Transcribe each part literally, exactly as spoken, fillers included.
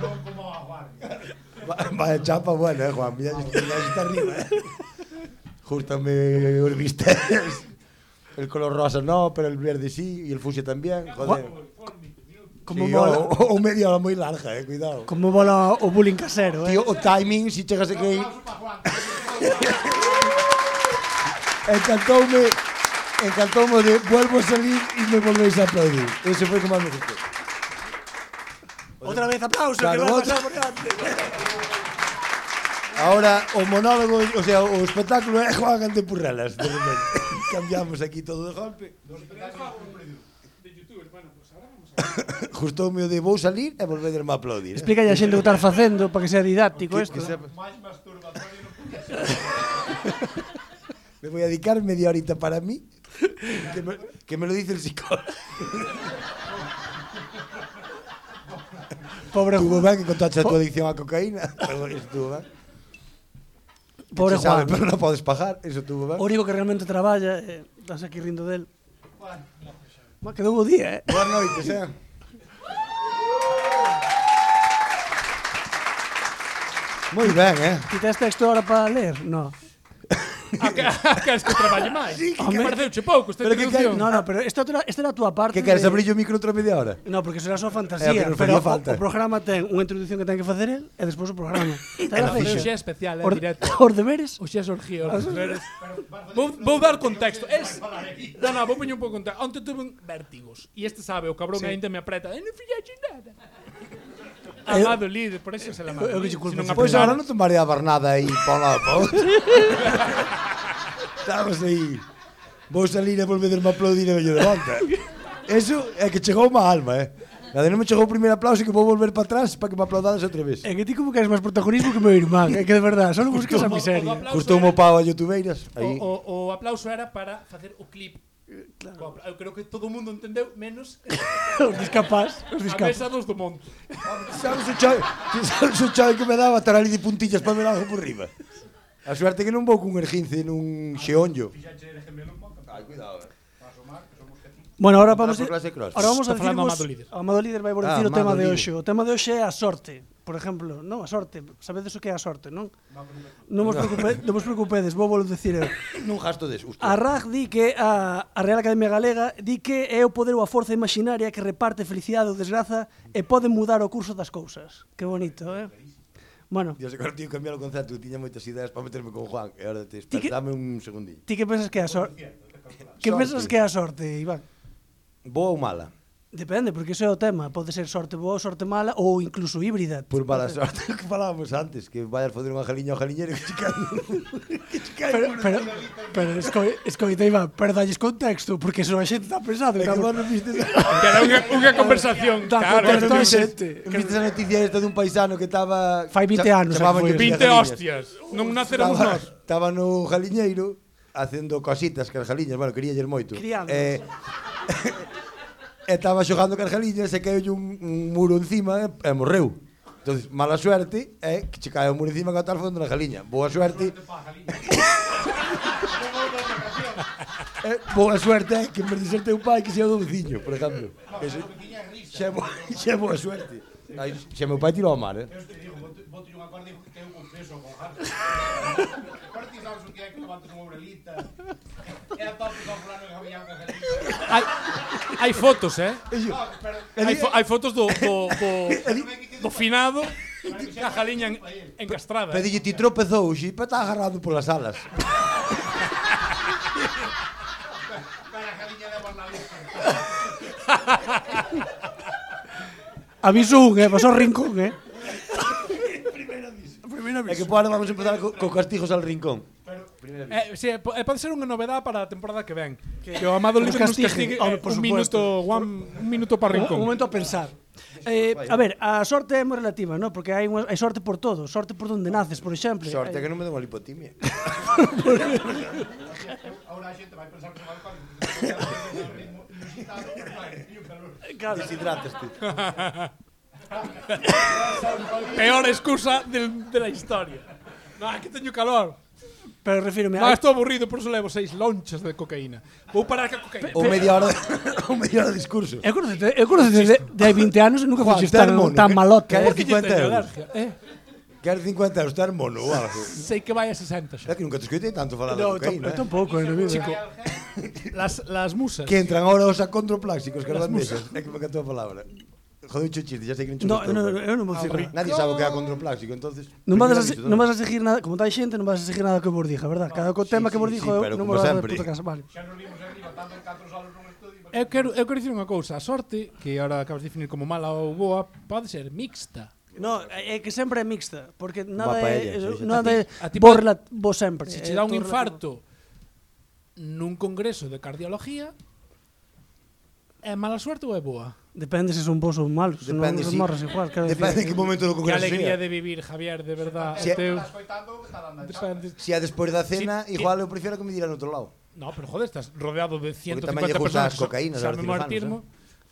Non como a Juan. Vaya chapa buena, eh, Juan. Mira, está arriba, eh. Justame os bistecs. El color rosa no, pero el verde sí, y el fucsia también. Joder. Como Sí, mola. o, o media hora moi larga, eh, cuidado. Como mola o bullying casero, eh. Tío, o timing, si chegas aquí... Encantoume, encantoume de vuelvo a salir y me volvéis a aplaudir. Ese foi como me gustou. Outra vez aplauso, Claro, que vai outra- pasar por diante. Ahora, o monólogo, o sea, o espectáculo é Juan ante Purrelas, de repente. Cambiamos aquí todo de golpe. Justoume o de vou salir e volvederme a aplaudir. Explica a xente o que estar facendo para que sea didáctico Que- isto. que sepa- Máis masturbatorio non podía ser. Me voy a dedicar media horita para mí, que me, que me lo dice el psicólogo. Pobre Estuvo Juan. ben que contaste a tua adicción á cocaína. Pero estuvo ben. Pobre Se sabe, Juan. pero non podes pagar, eso estuvo ben. O único que realmente traballa, eh, estás aquí rindo del. Ma, quedou o día, eh. Boas noites, eh. Moi ben, eh. Ti tes texto ahora para ler? No. A que, a que es que traballe máis. Sí, que Que queres- pareceuche pouco esta Pero que introducción. No, no, pero esta, era- esta era a túa parte. Que queres de- abrir o micro outra media hora? No, porque será só É, fantasía, pero nos pero, facía o, falta. o programa ten unha introducción que ten que facer el e despois o programa. Está Pero feito. hoxe é especial, é Os, directo. os deberes? Hoxe é orgía, os deberes. Vou, vou dar contexto. Es, no, no, vou poñer un pouco contexto. Onte tuve un vértigos. E este sabe, o cabrón Sí. ainda me apreta. E non fixaxe nada. Eu- Amado líder, por eso se la mando. Eu que che culpo. Se non Pois apreta- ahora non te mareabas nada aí pa un lado pa outro. Estabas aí. Vou salir e volvederme a aplaudir e vello de volta. Eso é que chegou má alma, eh. A de non me chegou o primeiro aplauso que vou volver para atrás para que me aplaudades outra vez. É que ti como queres máis protagonismo que meu irmán, é que de verdade, só non buscas a miseria. aplauso Custou era- mo pau a youtubeiras. Aí. O, o, o aplauso era para facer o clip. Claro. Eu creo que todo o mundo entendeu, menos Os discapás, os a discapás. mesa dos do monte. Sabes o chai, sabes o chai que me daba estar ali de puntillas para ver algo por riba. A suerte que non vou cun ergince nun xeonllo. Ai, cuidado, eh. Bueno, ahora vamos Para a, por clase cross. ahora vamos a Está falando decirvos, Amado Líder. Amado Líder vai vos Ah, dicir o tema Amado de Líder. hoxe. O tema de hoxe é a sorte. Por exemplo, non a sorte, sabedes o que é a sorte, non? Non vos preocupedes, non vos preocupedes, vou vos dicir eu. Nun gasto de susto. A R A G di que a, a Real Academia Galega di que é o poder ou a forza imaginaria que reparte felicidade ou desgraza e pode mudar o curso das cousas. Que bonito, eh? Bueno, Dios, agora tío cambiar o concepto, tiña moitas ideas para meterme con Juan. E agora te Ti que- espera, dame un segundinho. ti que pensas que é a sorte? Que Sorte. pensas que é a sorte, Iván? Boa ou mala? Depende, porque iso é o tema. Pode ser sorte boa, sorte mala ou incluso híbrida. Por mala sorte que falábamos antes, que vayas foder unha jaliña ao jaliñero que che cae. que che cae. Pero, pero, pero esco- escoita, Iván, pero dalles contexto, porque eso a xente está pensado. É que vos non vistes Que era unha, unha conversación. Da Claro, contexto non a vistes- xente. Non vistes a noticia esta dun paisano que estaba... Fai vinte anos, chamaban foi. que vinte jaliñas. hostias. Non naceremos Estaba, nós. estaba no jaliñeiro facendo cositas que as jaliñas, bueno, queríalle moito. Criándolas. Eh, e estaba xogando cas jaliñas e caeu un, un muro encima e, e morreu. Entonces, mala suerte é que che cae o muro encima que tal fondo na jaliña. Boa suerte. eh, boa suerte é que en vez de ser teu pai que sea o do veciño, por exemplo. Que se, xa, é boa, xa é boa suerte. Ai, xa meu pai tirou ao mar, eh. Eu te digo, bote unha corda e que eu con peso con jarro. Corti sabes o que é que levantas unha obrelita. E a tope con fulano que había unha jalita. Hai, hai fotos, eh? No, pero Hai, fo, hai fotos do, do, do, do finado ca jaliña en, encastrada. Pero dille, ti tropezou, xe, pa está agarrado polas alas. para a jalilla de Bornalista. Aviso un, eh, pasou rincón, eh. É que por ahora vamos a empezar co, co castigos al rincón. Eh, sí, po- eh, pode ser unha novedade para a temporada que ven. Que, o Amado nos Líder nos castigue. castigue Home, eh, por un supuesto. minuto, one, un minuto para Un, rincón. un momento a pensar. Eh, a ver, a sorte é moi relativa, ¿no? Porque hai, unha, hai sorte por todo. Sorte por donde naces, por exemplo. Sorte Hai- que non me deu unha lipotimia. Ahora a xente vai pensar que vai con o ritmo inusitado, pero vai, e o calor. Claro. Deshidrataste. Peor excusa del, de la historia. No, que teño calor. Pero refírome No, a... estou aburrido, por eso levo seis lonchas de cocaína. Vou parar ca cocaína. Ou media hora de, ou media hora de discurso. Eu conocete, eu conocete de, de hai vinte anos e nunca Juan, fixes tan, termono, tan que- malote. que- Eh? Por que cincuenta teño euros. alergia, eh? Quer cincuenta euros, ter mono ou algo. Sei que vai a sesenta xa. É que nunca te escoitei tanto falar No, de eu cocaína, eh? tampouco, en a vida. Chico, las, las musas. Que entran ahora os acondroplásicos, que as bandexas. É que me cantou a palabra. Joder, un chiste, ya sei que non No, chupas no, todo. no, eu non vou dicir nada. Nadie sabe o que é acondroplástico, entonces... Non vas, a, Primeiro aviso, non vas a seguir nada, como tal xente, non vas a seguir nada que eu vos dija, verdad? Cada co tema sí, que vos sí, dixo sí, eu pero non como vos vas a sempre. puta casa, vale. Xa nos vimos arriba, tanto en catro salos nun estudio. Eu quero, eu quero dicir unha cousa. A sorte, que ahora acabas de definir como mala ou boa, pode ser mixta. No, é que sempre é mixta, porque nada Unha é, paella, sí, sí. nada é A ti vos, pode- rela- vos sempre. Se é che dá un todo infarto nun congreso de cardiología, é mala suerte ou é boa? relativo. Depende se son vos ou malos, se non Depende, son sí. morras igual, quero Depende en decir. que momento do Que congreso alegría sea. de vivir, Javier, de verdad. Si- o teu... Estás coitando que está dando a chapa. Depende. Si é despois da cena, Sí, igual eu prefiero que me diran outro lado. No, pero joder, estás rodeado de ciento tamén cincuenta lle gustan personas. as cocaínas, xa aos me cirujanos, martirmo.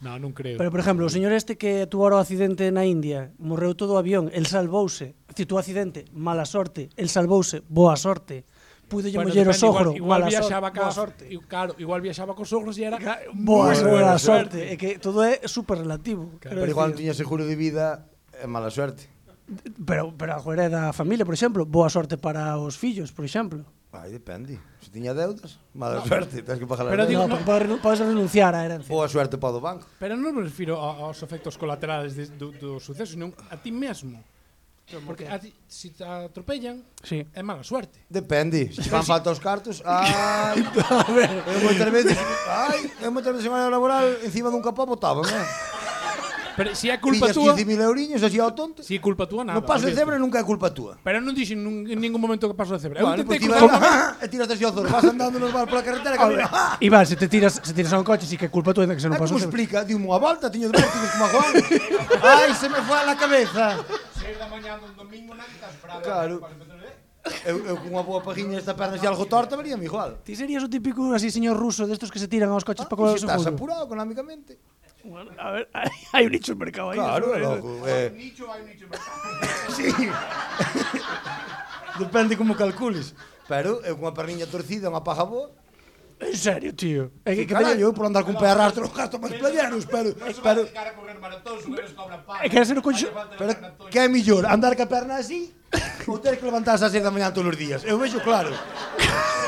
No, non creo. Pero, por exemplo, o señor este que tuara o accidente na India, morreu todo o avión, el salvouse, decir, tu accidente, mala sorte, el salvouse, boa sorte, puido lle Bueno, moller o depende, sogro, igual, igual mala viaxaba sorte, ca, boa sorte. i- Claro, igual viaxaba cos sogros e era Boa, moi boa buena sorte. É que todo é super relativo. Claro. quero Pero igual non decir. tiña seguro de vida, é mala suerte. Pero, pero a joder é da familia, por exemplo, boa sorte para os fillos, por exemplo. Ai, depende. Se tiña deudas, mala suerte, tens que pagar as Pero digo, deudas. No, porque podes, renu- podes renunciar á herencia. Boa suerte para o do banco. Pero non me refiro a- aos efectos colaterales de, do, do suceso, senón a ti mesmo. Porque a ti, se te atropellan, Sí. é mala suerte. Depende, se fan falta os cartos, ai, eu moitas veces, ai, eu moitas veces semana laboral encima dun capó botaban, eh. Pero se é culpa Pillas túa, quince mil euriños así ao tonto. se é culpa túa nada. No paso de olvídate. cebra nunca é culpa túa. Pero non dixen nun, en ningún momento que paso de cebra. Eu Bueno, intentei pues ti cruzar vas e tiras así ao zorro, vas andando normal pola carretera que mira, ah, Iván, se te tiras, se tiras a un coche, sí que é culpa túa de que se non é pasou. como explica, diu-me unha volta, tiño de vértigos como a Juan. Ai, se me foi a la cabeza. seis da mañá dun domingo na que estás bravo. Claro. Eu, eu con unha boa pajiña esta perna así algo torta veríame igual. Ti serías o típico así señor ruso destos que se tiran aos coches para Ah, cobrar e o se estás seguro. apurado económicamente. Bueno, a ver, hai, hai un nicho de mercado aí. Claro, eso, é eh. loco. Hai Eh, un nicho, hai un nicho. sí. Depende como calcules. Pero eu con unha perniña torcida, unha paja boa. En serio, tío. É que, que Carallo, teño- eu por andar con pé arrastro non gasto máis playeros, pero... Non se vai pero dedicar a correr maratóns, o que nos cobran paga. É que ser o coche- pero que é millor, andar ca perna así ou ter que levantarse ás seis da mañá todos os días? Eu vexo claro.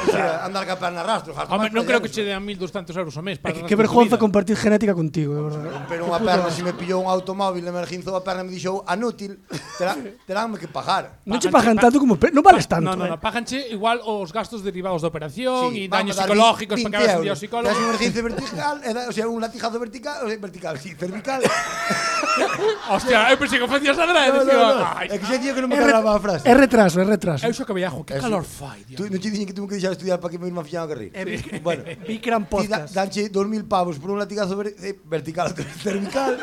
O sea, andar ca perna arrastro, gasto Home, máis non creo que playeros. che dean mil doscientos euros ao mes É para que, o que resto da vergonza vida. compartir genética contigo, de verdade. Pero unha perna, se me pillou un automóvil e me reginzou a perna e me dixou anútil, terá, teránme que pagar. Non che Pagan- pagan tanto como pe... non vales tanto. No, no, no, eh. páganche igual os gastos derivados da operación e vamos daños a dar psicológicos veinte para que hagas un día ao euros. psicólogo. Tes un ejercicio vertical, e da- o sea, un latigazo vertical, o sea, vertical, sí, cervical. Hostia, eu pensei que o facías adrede, No, no, dicía, no. "Ai, É que xa tío que non me É re- cargaba a frase. É retraso, é retraso. Eu xo que viajo, que Eso. calor fai, Tú Dios. non te dixen que tuve que deixar de estudiar para que me irme a fichar a carreira. Eh, Bueno, Vi que eran ti da, podcast. danche dos mil pavos por un latigazo ver, eh, vertical, cervical.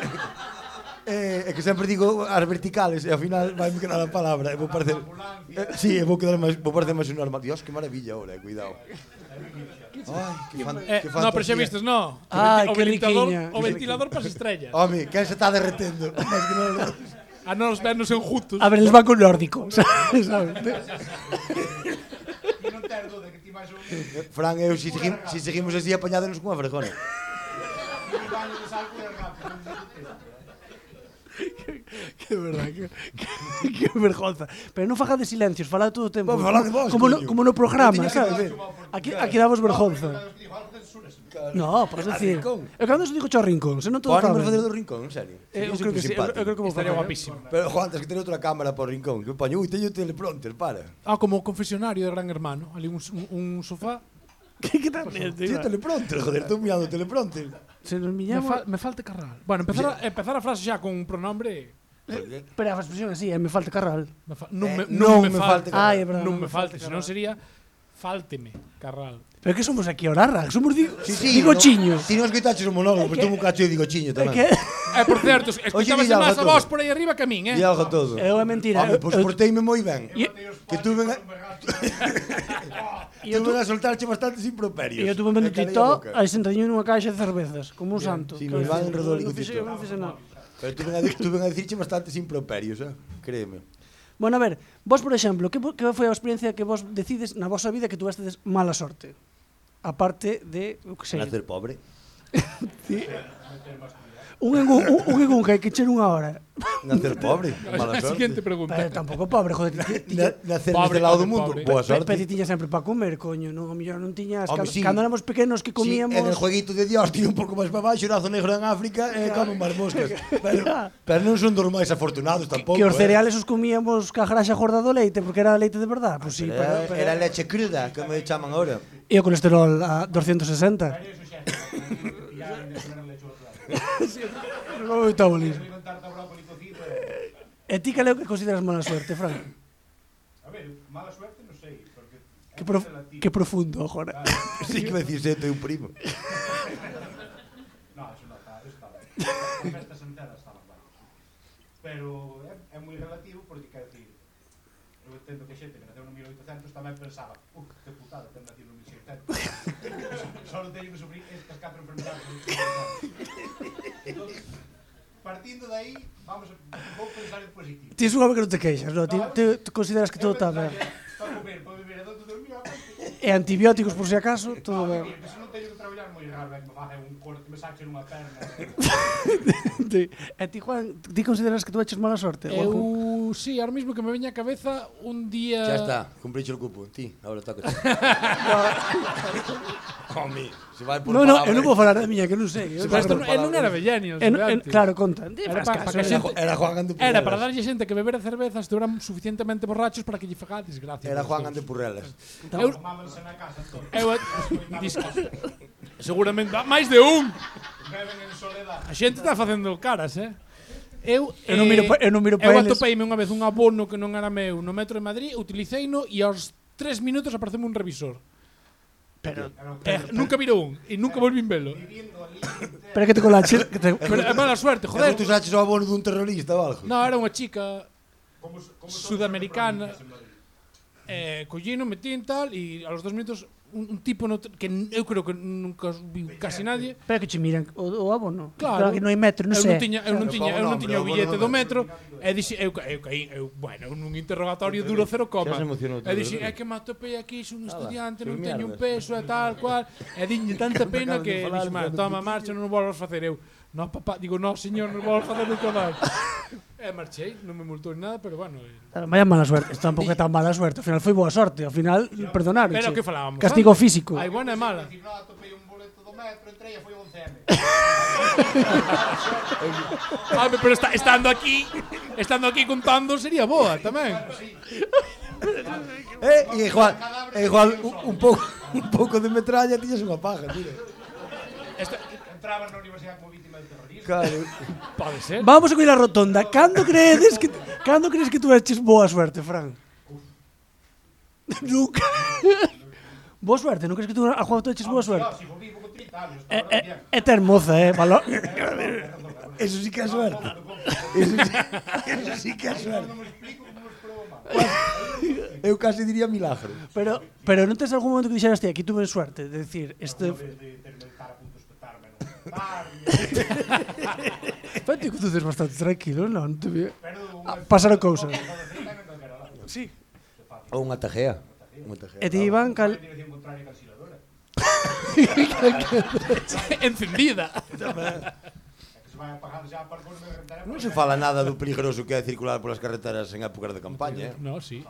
Eh, é que sempre digo as verticales e ao final vai me quedar a palabra e vou parecer eh, sí, e vou quedar máis vou parecer máis un normal. Dios, que maravilla ahora, eh, cuidado. Ai, que, fan, Eh, que no, pero xa fantasía. vistes, no. Que Ai, venti- o que ventilador, riquiña. o ventilador para as estrellas. Home, quen se está derretendo? Mas que non, A non os vernos enjutos. A ver, eles van con nórdico, sabes? sabes? E non ter duda que ti vais a un Fran, eu si, seguim, si seguimos así apañádonos cunha fregona. baño de salto e rápido. Que verdad, que, que, que vergonza. Pero non faga de silencios, fala todo o tempo. Vamos, fala de vos, como, no, coño. como no programa, Eu tiña que sabes? dar- Aquí, aquí damos vergonza. Digo, algo que censuras. No, podes A decir. rincón. Eu cando se digo cho rincón, se non todo Pode cabe. facer do rincón, en serio. Eh, Sería Eu creo que sí, eu, supersimpático. eu creo que vou Estaría facer. guapísimo. Pero, Juan, tens que ter outra cámara para o rincón. Que poño, ui, teño teleprompter, para. Ah, como o confesionario de Gran Hermano. Ali un, un, un sofá. Que que tal? Tío, teleprompter, joder, estou mirando o teleprompter. Se nos Me, miñamos. fa, me falta carral. Bueno, empezar a, empezar a frase xa con un pronombre. Pero a expresión así, eh, me falta carral. Me fa, non, Eh, me, non, non me, me falte. falte carral. Ai, é verdade, non non me me falte, falte senón sería fálteme carral. Pero que somos aquí ahora, somos digo, Sí, sí, digo no, chiños. Ti non escoitaches o monólogo, pero tú un cacho e digo chiño tamén. Que Eh, por certo, escuchabase dilla máis a algo vos todo. por aí arriba que a min, eh? Di algo todo. eu é mentira. Home, eu- pois eu- porteime moi ben. E- Que tuve a, E eu tuve a soltarche bastantes improperios. E eu tuve vendo E calei a TikTok, boca. aí sentadinho nunha caixa de cervezas, como un santo. Sí, Que me van eu- enredou eu ali non co fixe- TikTok. eu non fixe nada. Pero tuve a, tuve a dicirche bastantes improperios, eh? Créeme. Bueno, a ver, vos, por exemplo, que, que foi a experiencia que vos decides na vosa vida que tuvestedes mala sorte? Aparte de, o que sei... Nacer pobre. Sí. Un en un, un, un en un que hai que echar unha hora. Nacer pobre. Mala A sorte. siguiente pregunta. Pero tampouco pobre, joder. Ti, ti, Na- Nacer Pobre, neste lado do pobre, mundo. pobre. Boa Pe- sorte. Pero ti tiñas sempre para comer, coño, non, a mellor non tiñas... Home, Cando, sí. cando éramos pequenos que comíamos... Sí, en el jueguito de Dios tiene un pouco máis para baixo, nazo negro en África e como máis moscas. Pero, pero non son dos máis afortunados tampouco. que os eh. cereales os comíamos ca graxa gorda do leite porque era leite de verdad, pois pues sí, Era, pero, pero, era leche cruda, como me chaman ahora. e o colesterol a doscientos sesenta. Pero eso xa, ya en el primer lecho outro lado. O metabolismo. Voy a inventar brócoli cocido. E ti cal é o que consideras mala suerte, Fran? A ver, mala suerte non sei, porque é Que, prof, relativo. que profundo, agora. Sí que me decís, eh, tengo un primo. No, eso non está, eso está ben. As festas enteras estaban ben. Pero é, é moi relativo porque, quero dicir, eu entendo que xente que naceu no mil oitocentos tamén pensaba, uh, que putada, ten nacido no mil seiscentos. Só teño que sufrir estas catro enfermedades. Entón, partindo de aí, vamos a, vou pensar en positivo. Ti suave que non te queixas, no? Ti, ti, ti consideras que todo está ben. Para comer, para beber, donde dormir, E antibióticos, por si acaso, todo ben. se non teño que traballar moi raro, ben, me faga un corte, me saque unha perna. Ti- E ti, Juan, ti consideras que tú eches mala sorte? Eu, Guapo? sí, ahora mismo que me veña a cabeza un día... Ya está, cumpricho el cupo. Ti, ahora toca. Homie, se vai por No, no, palabra. eu non vou falar da miña, que non sei. Eu Pero isto non- por non era Bellenios, En, en, antes. claro, conta. Di, Era faz pa- caso, pa que eh. Era, xente- era Juan Ande Era para Purrelas. darlle xente que beber cervezas estuveran suficientemente borrachos para que lle fagades gracias. Era Juan Ande Purrelas. Eu, Mámanse na casa todos. eu, disco, seguramente máis de un. Beben en soledad. A xente está facendo caras, eh? Eu, Eu non miro pa- eu non miro pa eu eles. atopeime unha vez un abono que non era meu no metro de Madrid, utilicéino e aos tres minutos apareceme un revisor. Pero, Eh, nunca virou un e nunca volvín velo. Viviendo ali, pero que te colache, que te, Pero é mala suerte, Joder, joder. tú saches o abono dun terrorista ou algo? No, era unha chica como, como sudamericana. Eh, collino, metín tal e a los dos minutos un, un tipo no, que n- eu creo que nunca vi casi nadie. pero que che miran o, o abono. Claro. que non hai metro, non eu sei. non tiña, eu non Pero tiña, como eu non non, tiña o pero billete bueno, do non. metro e dixi, eu, eu caí, eu, bueno, nun interrogatorio duro cero coma. Xa se emocionou todo, E dixi, verdad? é que me atopei aquí, son un Ala, estudiante, que non teño un mierdas. peso e tal cual. E diñe tanta pena acabas de que falar, dixi, pero toma, non marcha, non o volvas facer eu. No, papá, digo, no, señor, non o volvas facer nunca máis. E marchei, non me multou ni nada, pero bueno. eh. Claro, vaya mala suerte, isto tampouco é tan mala suerte. Ao final foi boa sorte, ao final perdonaron. Pero que falábamos? Castigo antes? físico. Hai buena e mala. Dicir, no, atopei un boleto do metro, entrei e foi once eme. Ah, pero está, estando aquí, estando aquí contando sería boa tamén. Eh, e igual, e igual un, un pouco un pouco de metralla tiñas unha paja, mira. Esta, Entraban na universidade como vítima de terrorismo. Claro. pode ser. Vamos a coller a rotonda. Cando credes que cando crees que tú eches boa suerte, Fran? Nunca. Boa suerte, non crees que tú a Juan tú eches boa suerte? Si vou vivo con trinta anos, É, está é, bien. é ter moza, eh, valor. Eso sí que é suerte. Eso sí, eso sí que é suerte. Non me explico como os probo mal. Eu casi diría milagro. Pero pero non tes algún momento que dixeras ti, aquí tuve suerte, de decir, este De, de terme estar a punto de espetarme no bar, Fante que tú tes bastante tranquilo, non? Te vi. pero Ah, pasaron cousas. Sí. Ou unha tajea. Unha tajea. E ti Iván cal En dirección contraria que calciladora. Encendida. É que se vai apagando xa para pôr me rentar. Non se fala nada do peligroso que é circular polas carreteras en épocas de campaña, eh? No, sí.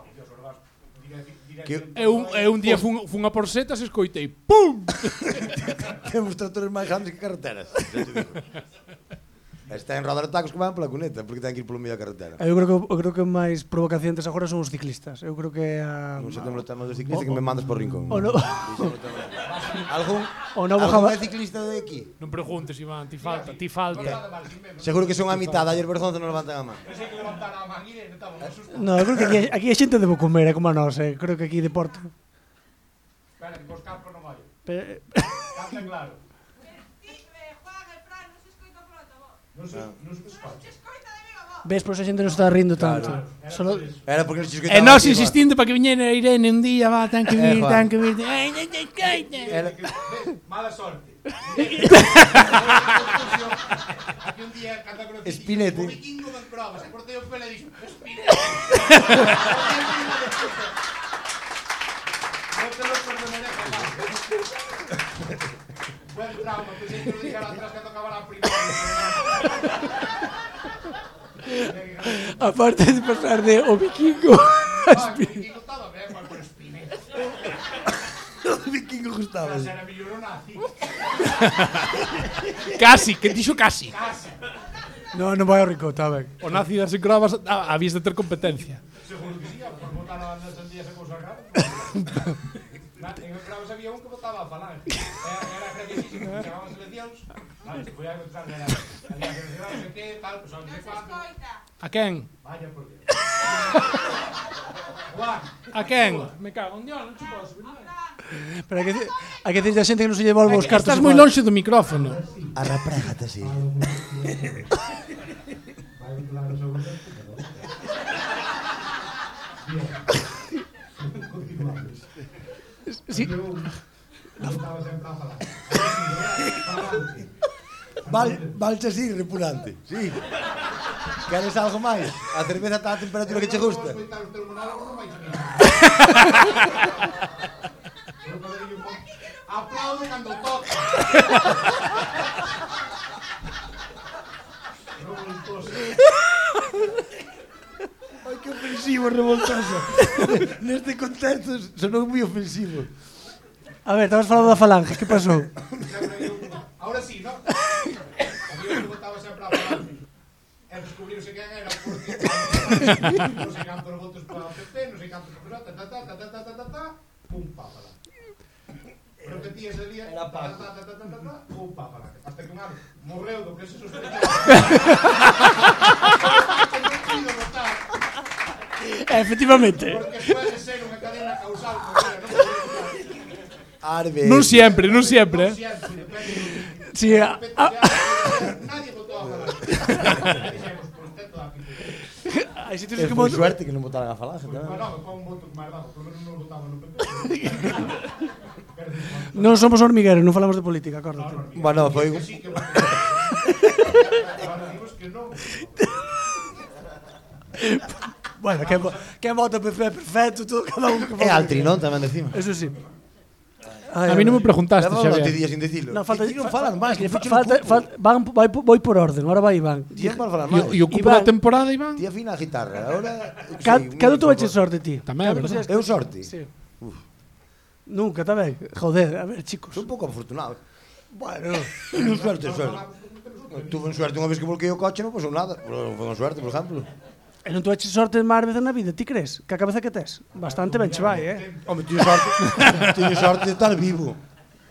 Que Eu, eu un día fun, fun a por setas e escoitei pum. temos tratores máis grandes que carreteras. xa te digo. Está en rodar tacos que van pola cuneta, porque ten que ir polo medio da carretera. Eu creo que eu creo que máis provocaciones agora son os ciclistas. Eu creo que a Non sei temos o tema dos ciclistas que me mandas por rincón. o no Algún, o novo algún jaba- é ciclista de aquí? Non preguntes, Iván, ti falta, ti falta. Seguro que son a mitad, ayer Berzonza non levantan a man. Pensei que levantar a manguina e estaba un susto. No, eu creo que aquí, aquí a xente debo comer, é como a nós, eh. Creo que aquí deporte. Espera, que cos campos non vai. Pero, Canta claro. Non se, non se escoita. ves, por esa xente non está rindo tanto. Solo Era porque nos E nós insistindo para que viñera Irene un día, va, ten que vir, Eh, ten Juan. que vir. Ai, ai, ai, ai, ai. Era, Ves, mala sorte. Aquí un día canta con o Espinete. O vikingo ben probas, e cortei o pelo e dixo, Espinete. Non te lo perdonaré jamás. Buen trauma, pensei que lo dijera atrás cando acabara a primaria. Aparte de pasar de o vikingo Ah, o vikingo estaba ben, mas por Espinete. O vikingo gustaba. Mas era mellor o nazi. Casi, que dixo casi. Casi. No, non vai ao rico, está ben. O nazi das encravas ah, habías de ter competencia. Seguro que sí, por votar a las sandías e cousas raras. En Encravas había un que votaba a Falange. Era graciosísimo, que chamaban seleccións. Vale, se podía encontrar, era... Había que decir, non sei que, tal, pues non sei cuánto. A quen? Vaya por Dios. Juan. A quen? Me cago en Dios, non te posso venir. Pero hai que, hai que decirle a xente que non se lle volve os cartos. Estás moi lonxe do micrófono. Arraprégate así. Vai vincular o segundo. Bien. Continuamos. Sí. Eu estaba sempre a falar. Falante. Val, valse así, repulante. Sí. Queres algo máis? A cerveza está a temperatura que che gusta. Eu vou escoitar os teus monólogos, non vais a mirar. Eu podería un pouco. Aplaude cando toca. Revoltoso. Ai, que ofensivo, revoltoso. Neste contexto sonou moi ofensivo. A ver, estabas falando da Falange, que pasou? Ahora sí, ¿no? Había un que votaba sempre a Falange. E descubriuse quen era porque non sei cantos votos para o P P, non sei cantos para ta ta ta ta ta ta ta ta pum pa Falange. Repetía ese día ta ta ta ta ta ta ta pum pa Falange. Hasta que un ano morreu do que se sospechaba. Non votar. Efectivamente. Porque puede ser unha cadena causal, porque non podía votar. Arbe. Non sempre, non sempre, eh. Siempre, depende do Sí, a, a, nadie votó a Falange. Dixemos, por tanto, a Pipe. hai sitios Que que foi mo... suerte que non votaran a falange Pues, tamén. bueno, con un voto máis bajo, por lo menos non votaba no P P. Non somos hormigueros, non falamos de política, acórdate. Bueno, foi Que sí, que voto. Ahora dimos que non. Bueno, quen, vo- quen vota P P é perfecto, todo cada un que É vota. altri, non? Tamén decimos. Eso sí. Ai, A mí non me preguntaste, Leva uns Xavier. días sin decirlo. No, falta, Ti non fa- falan máis, que fa- fuche falta, no falta, van, vai, voy por orden, ahora vai Iván. Ti non falan E máis. o- e o cupo Iván. da temporada, Iván? Ti afina a guitarra, ahora... Ca- Cado tú eches sorte ti? Tamén, Cado verdad. consideras- Eu sorte? Sí. Nunca, está ben. Joder, a ver, chicos. Son un pouco afortunado. Bueno, Non suerte, suerte. Tuve suerte unha vez que volquei o coche, non pasou nada. Pero foi unha suerte, por exemplo. e non tú eches sorte máis veces na vida, ti crees? Que a cabeza que tes? Bastante ben che vai, eh? Home, tiño sorte, tiño sorte de estar vivo.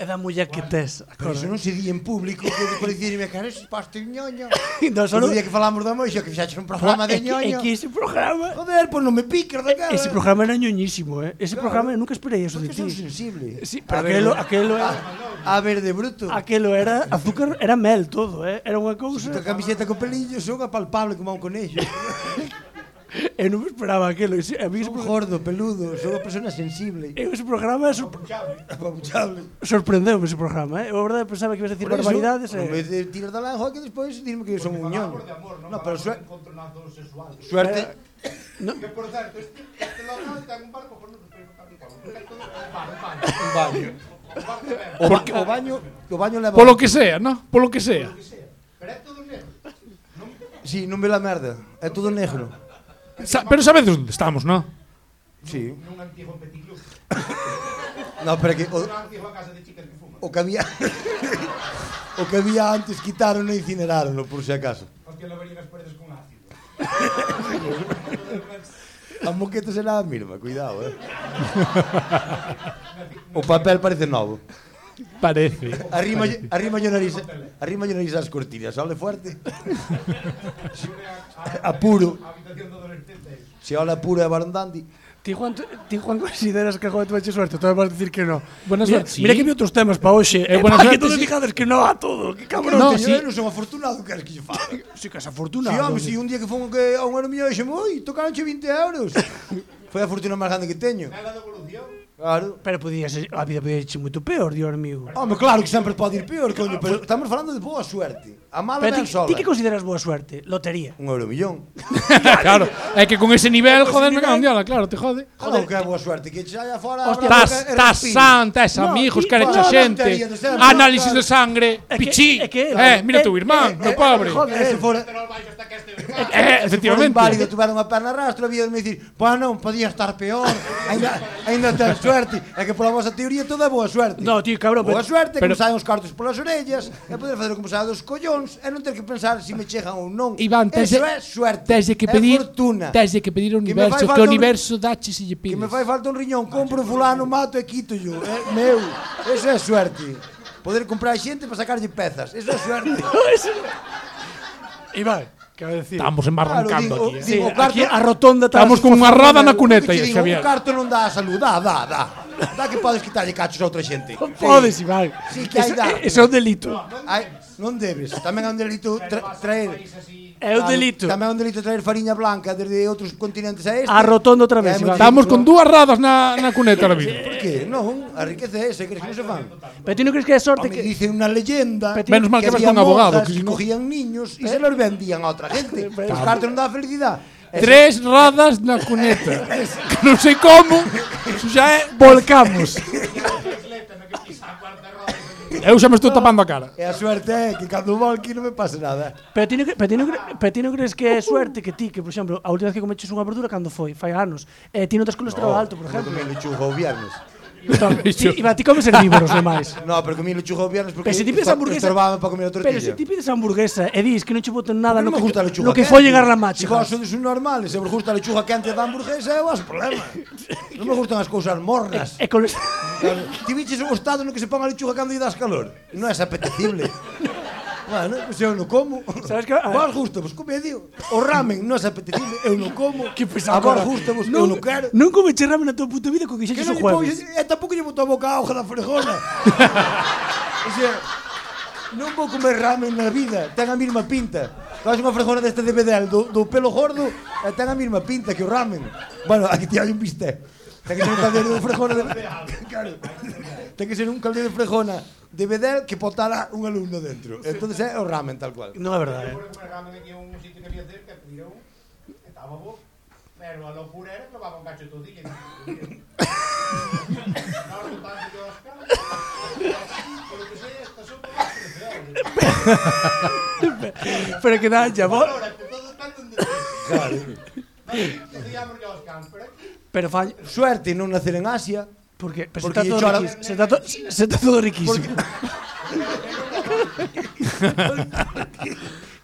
É da muller que tes, Pero iso acorda? non se di en público, que depois dicirme que eres paste ñoño. Non, Solo solo... día que falamos da moixa, que fixaches un programa É de que, é ñoño. que ese programa... Joder, pois non me piques da cara. Ese programa era ñoñísimo, eh? Ese Claro. programa, nunca esperei eso de Porque son ti. sensible. Sí, pero aquelo, aquelo era... A ver, de bruto. Aquelo era azúcar, era mel todo, eh? Era unha cousa... Esta camiseta con pelillos son apalpable como un conexo. Eu non me esperaba aquelo. Ese, a mí ese, Son pro- gordo, peludo, son unha persona sensible. eu ese programa sor Apabuchable. sorprendeu-me ese programa, eh? Eu, a verdade, pensaba que ibas a decir Por eso, barbaridades. En Eh? vez de tirar da lanza, que despois dirme que son un ñoño. Falábamos de amor, non No, pero falábamos suerte, de encontronazo sexual. suerte, Que, por certo, este, este local ten un barco por non sei no capital. É todo un bar, un bar. un baño. Un bar de ver, O, ba o baño, o baño leva... Polo que sea, ¿no? Polo que sea. lo que sea. Pero é todo negro. Non Sí, non ve la merda. É todo negro. Sa pero sabedes onde estamos, ¿no? Sí. nun antigo petit club. No, pero que o, Unha antiga casa de chicas que fuman. o que había o que había antes quitaron e incineraron, por si acaso. Hostia, lavarían as paredes con ácido. A moqueta será a mesma, cuidado, eh. O papel parece novo. Parece. Arrima arrima yo nariz, arrima yo nariz ás cortinas, ole fuerte. Apuro. A habitación do adolescente. Se ola puro e barandandi. Ti, Juan, ti, Juan, consideras que joder, tú eches suerte? Tú vas a decir que no. Buena mira, suerte, sí. Mira que vi outros temas para hoxe. Eh, Eh, buena para que suerte, todos sí. dixades que no a todo. Que cabrón. No, No, teño, sí. eu non son afortunado, que es que lle fala. Sí que es Si, afortunado. home, si un día que fomos que a un ano millón dixemos, oi, tocaronche vinte euros. Foi a fortuna máis grande que teño. Nada de evolución. Claro. Pero podía ser, a vida podía ser moito peor, Dios mío. Home, claro que sempre pode ir peor, coño, pero estamos falando de boa suerte. A mala Pero ben ti, sola. ti que consideras boa suerte? Lotería. Un euro millón. Claro, é que con ese nivel, joder, me cago en diola, claro, te jode. Joder, que é boa suerte, que che hai afora... Hostia, Estás, estás san, tes No, amigos, ti- queres no, a no, xente, tontería de sempre, análisis claro. de sangre, É que- pichí. é que- Eh, mira é- tu irmán, é- meu é- pobre. joder, Eh, se fora... Eh, Se fora efectivamente. inválido, tuveron a perna rastro, había de me dicir, pois non, podía estar peor, ainda, ainda ten suerte. É que pola vosa teoría todo é boa suerte. No, tío, cabrón, Boa pero- suerte, que pero- me saen os cartos polas orellas, e poder facer como saen dos collóns, e non ter que pensar se me chegan ou non. Iván, tes Eso de- é suerte. Tes de que é pedir, fortuna. tes de que pedir ao Que me universo, fai que falta o un- universo dache se lle Que pides. me fai falta un riñón, compro fulano, mato e quito yo. É meu. Eso é suerte. Poder comprar xente para sacarlle pezas. Eso é suerte. Iván, quero decir. Estamos embarrancando Claro, digo, aquí. eh. Sí, digo, aquí carto- a rotonda está Estamos con unha roda na Que cuneta, che digo, Xavier. un carto non dá a salud, dá, dá, dá. Dá que podes quitarlle cachos a outra xente. Podes, Iván. Sí, que hai Eso- dar. Eso é un delito. Ai, non debes. Tamén é un delito tra traer... É un Claro, delito. Tamén é un delito traer fariña blanca desde outros continentes a este. A rotonda outra vez, E hai Iván. moito Estamos delito. con dúas radas na, na cuneta ahora mismo. Por qué? Non, a riqueza é esa, crees que non se fan? Pero ti non crees que é sorte Home, que... dicen unha leyenda Pero Menos mal que vas había con abogado, monjas que si no- cogían niños e se los vendían a outra gente. Pero- Os cartos non dá felicidade. Eso- Tres radas na cuneta. Que non sei como, iso xa é... Volcamos. Eu xa me estou tapando a cara. E a suerte é que cando volque non me pase nada. Pero ti non, cre- pero ti non, cre- pero ti non crees que é suerte que ti, que por exemplo, a última vez que comeches unha verdura cando foi, fai anos, e ti non tes colesterol alto, por exemplo. Comí lechuga o viernes. Ti, Iván, ti comes herbívoros demais. No, pero comí lechuga o viernes porque Pero se ti pides estor- hamburguesa- estorbaba para comer a tortilla. Pero se ti pides hamburguesa e dis que non che boten nada non no me que, gusta a lechuga no que quente. follen as ramaches. Se vos sodes un normal, se vos gusta a lechuga quente da hamburguesa, é o vosso problema. Non me gustan as cousas mornas. E coles... Claro, ti viches o estado no que se pon a lechuga cando lle das calor. Non é apetecible. Bueno, pois eu non como. Sabes que- a- Vos gusta, vos comedio. O ramen non é apetecible, eu non como. Que pesado, A vos cara. gusta, vos eu non quero. Non comeche ramen na tua puta vida co que Que xeches non o lle pongo, jueves. e tampouco lle boto a boca a hoja da frejona. O sea, non vou comer ramen na vida, ten a mesma pinta. Faz unha frejona deste de bedel do, do pelo gordo e ten a mesma pinta que o ramen. Bueno, aquí te hai un bistec. Ten que ser un caldeiro de frejona de... Claro. Ten que ser un caldeiro de frejona de bedel que botara un alumno dentro. Entonces é o ramen tal cual. Non é verdade. Por comer ramen aquí a un sitio que había cerca, pediron, estaba bo, pero a locura era que levaba un cacho de tortilla. Ahora no tanto yo as caras, pero que sei, esta sopa va a crecer. Pero que dá ya, bo... Ahora, que todo tanto en defensa. Claro. Decíamos yo os cans, pero aquí, Pero fall... Suerte non nacer en Asia. Porque, pero Porque se está todo chora- riquísimo. Se está, to, se está todo riquísimo.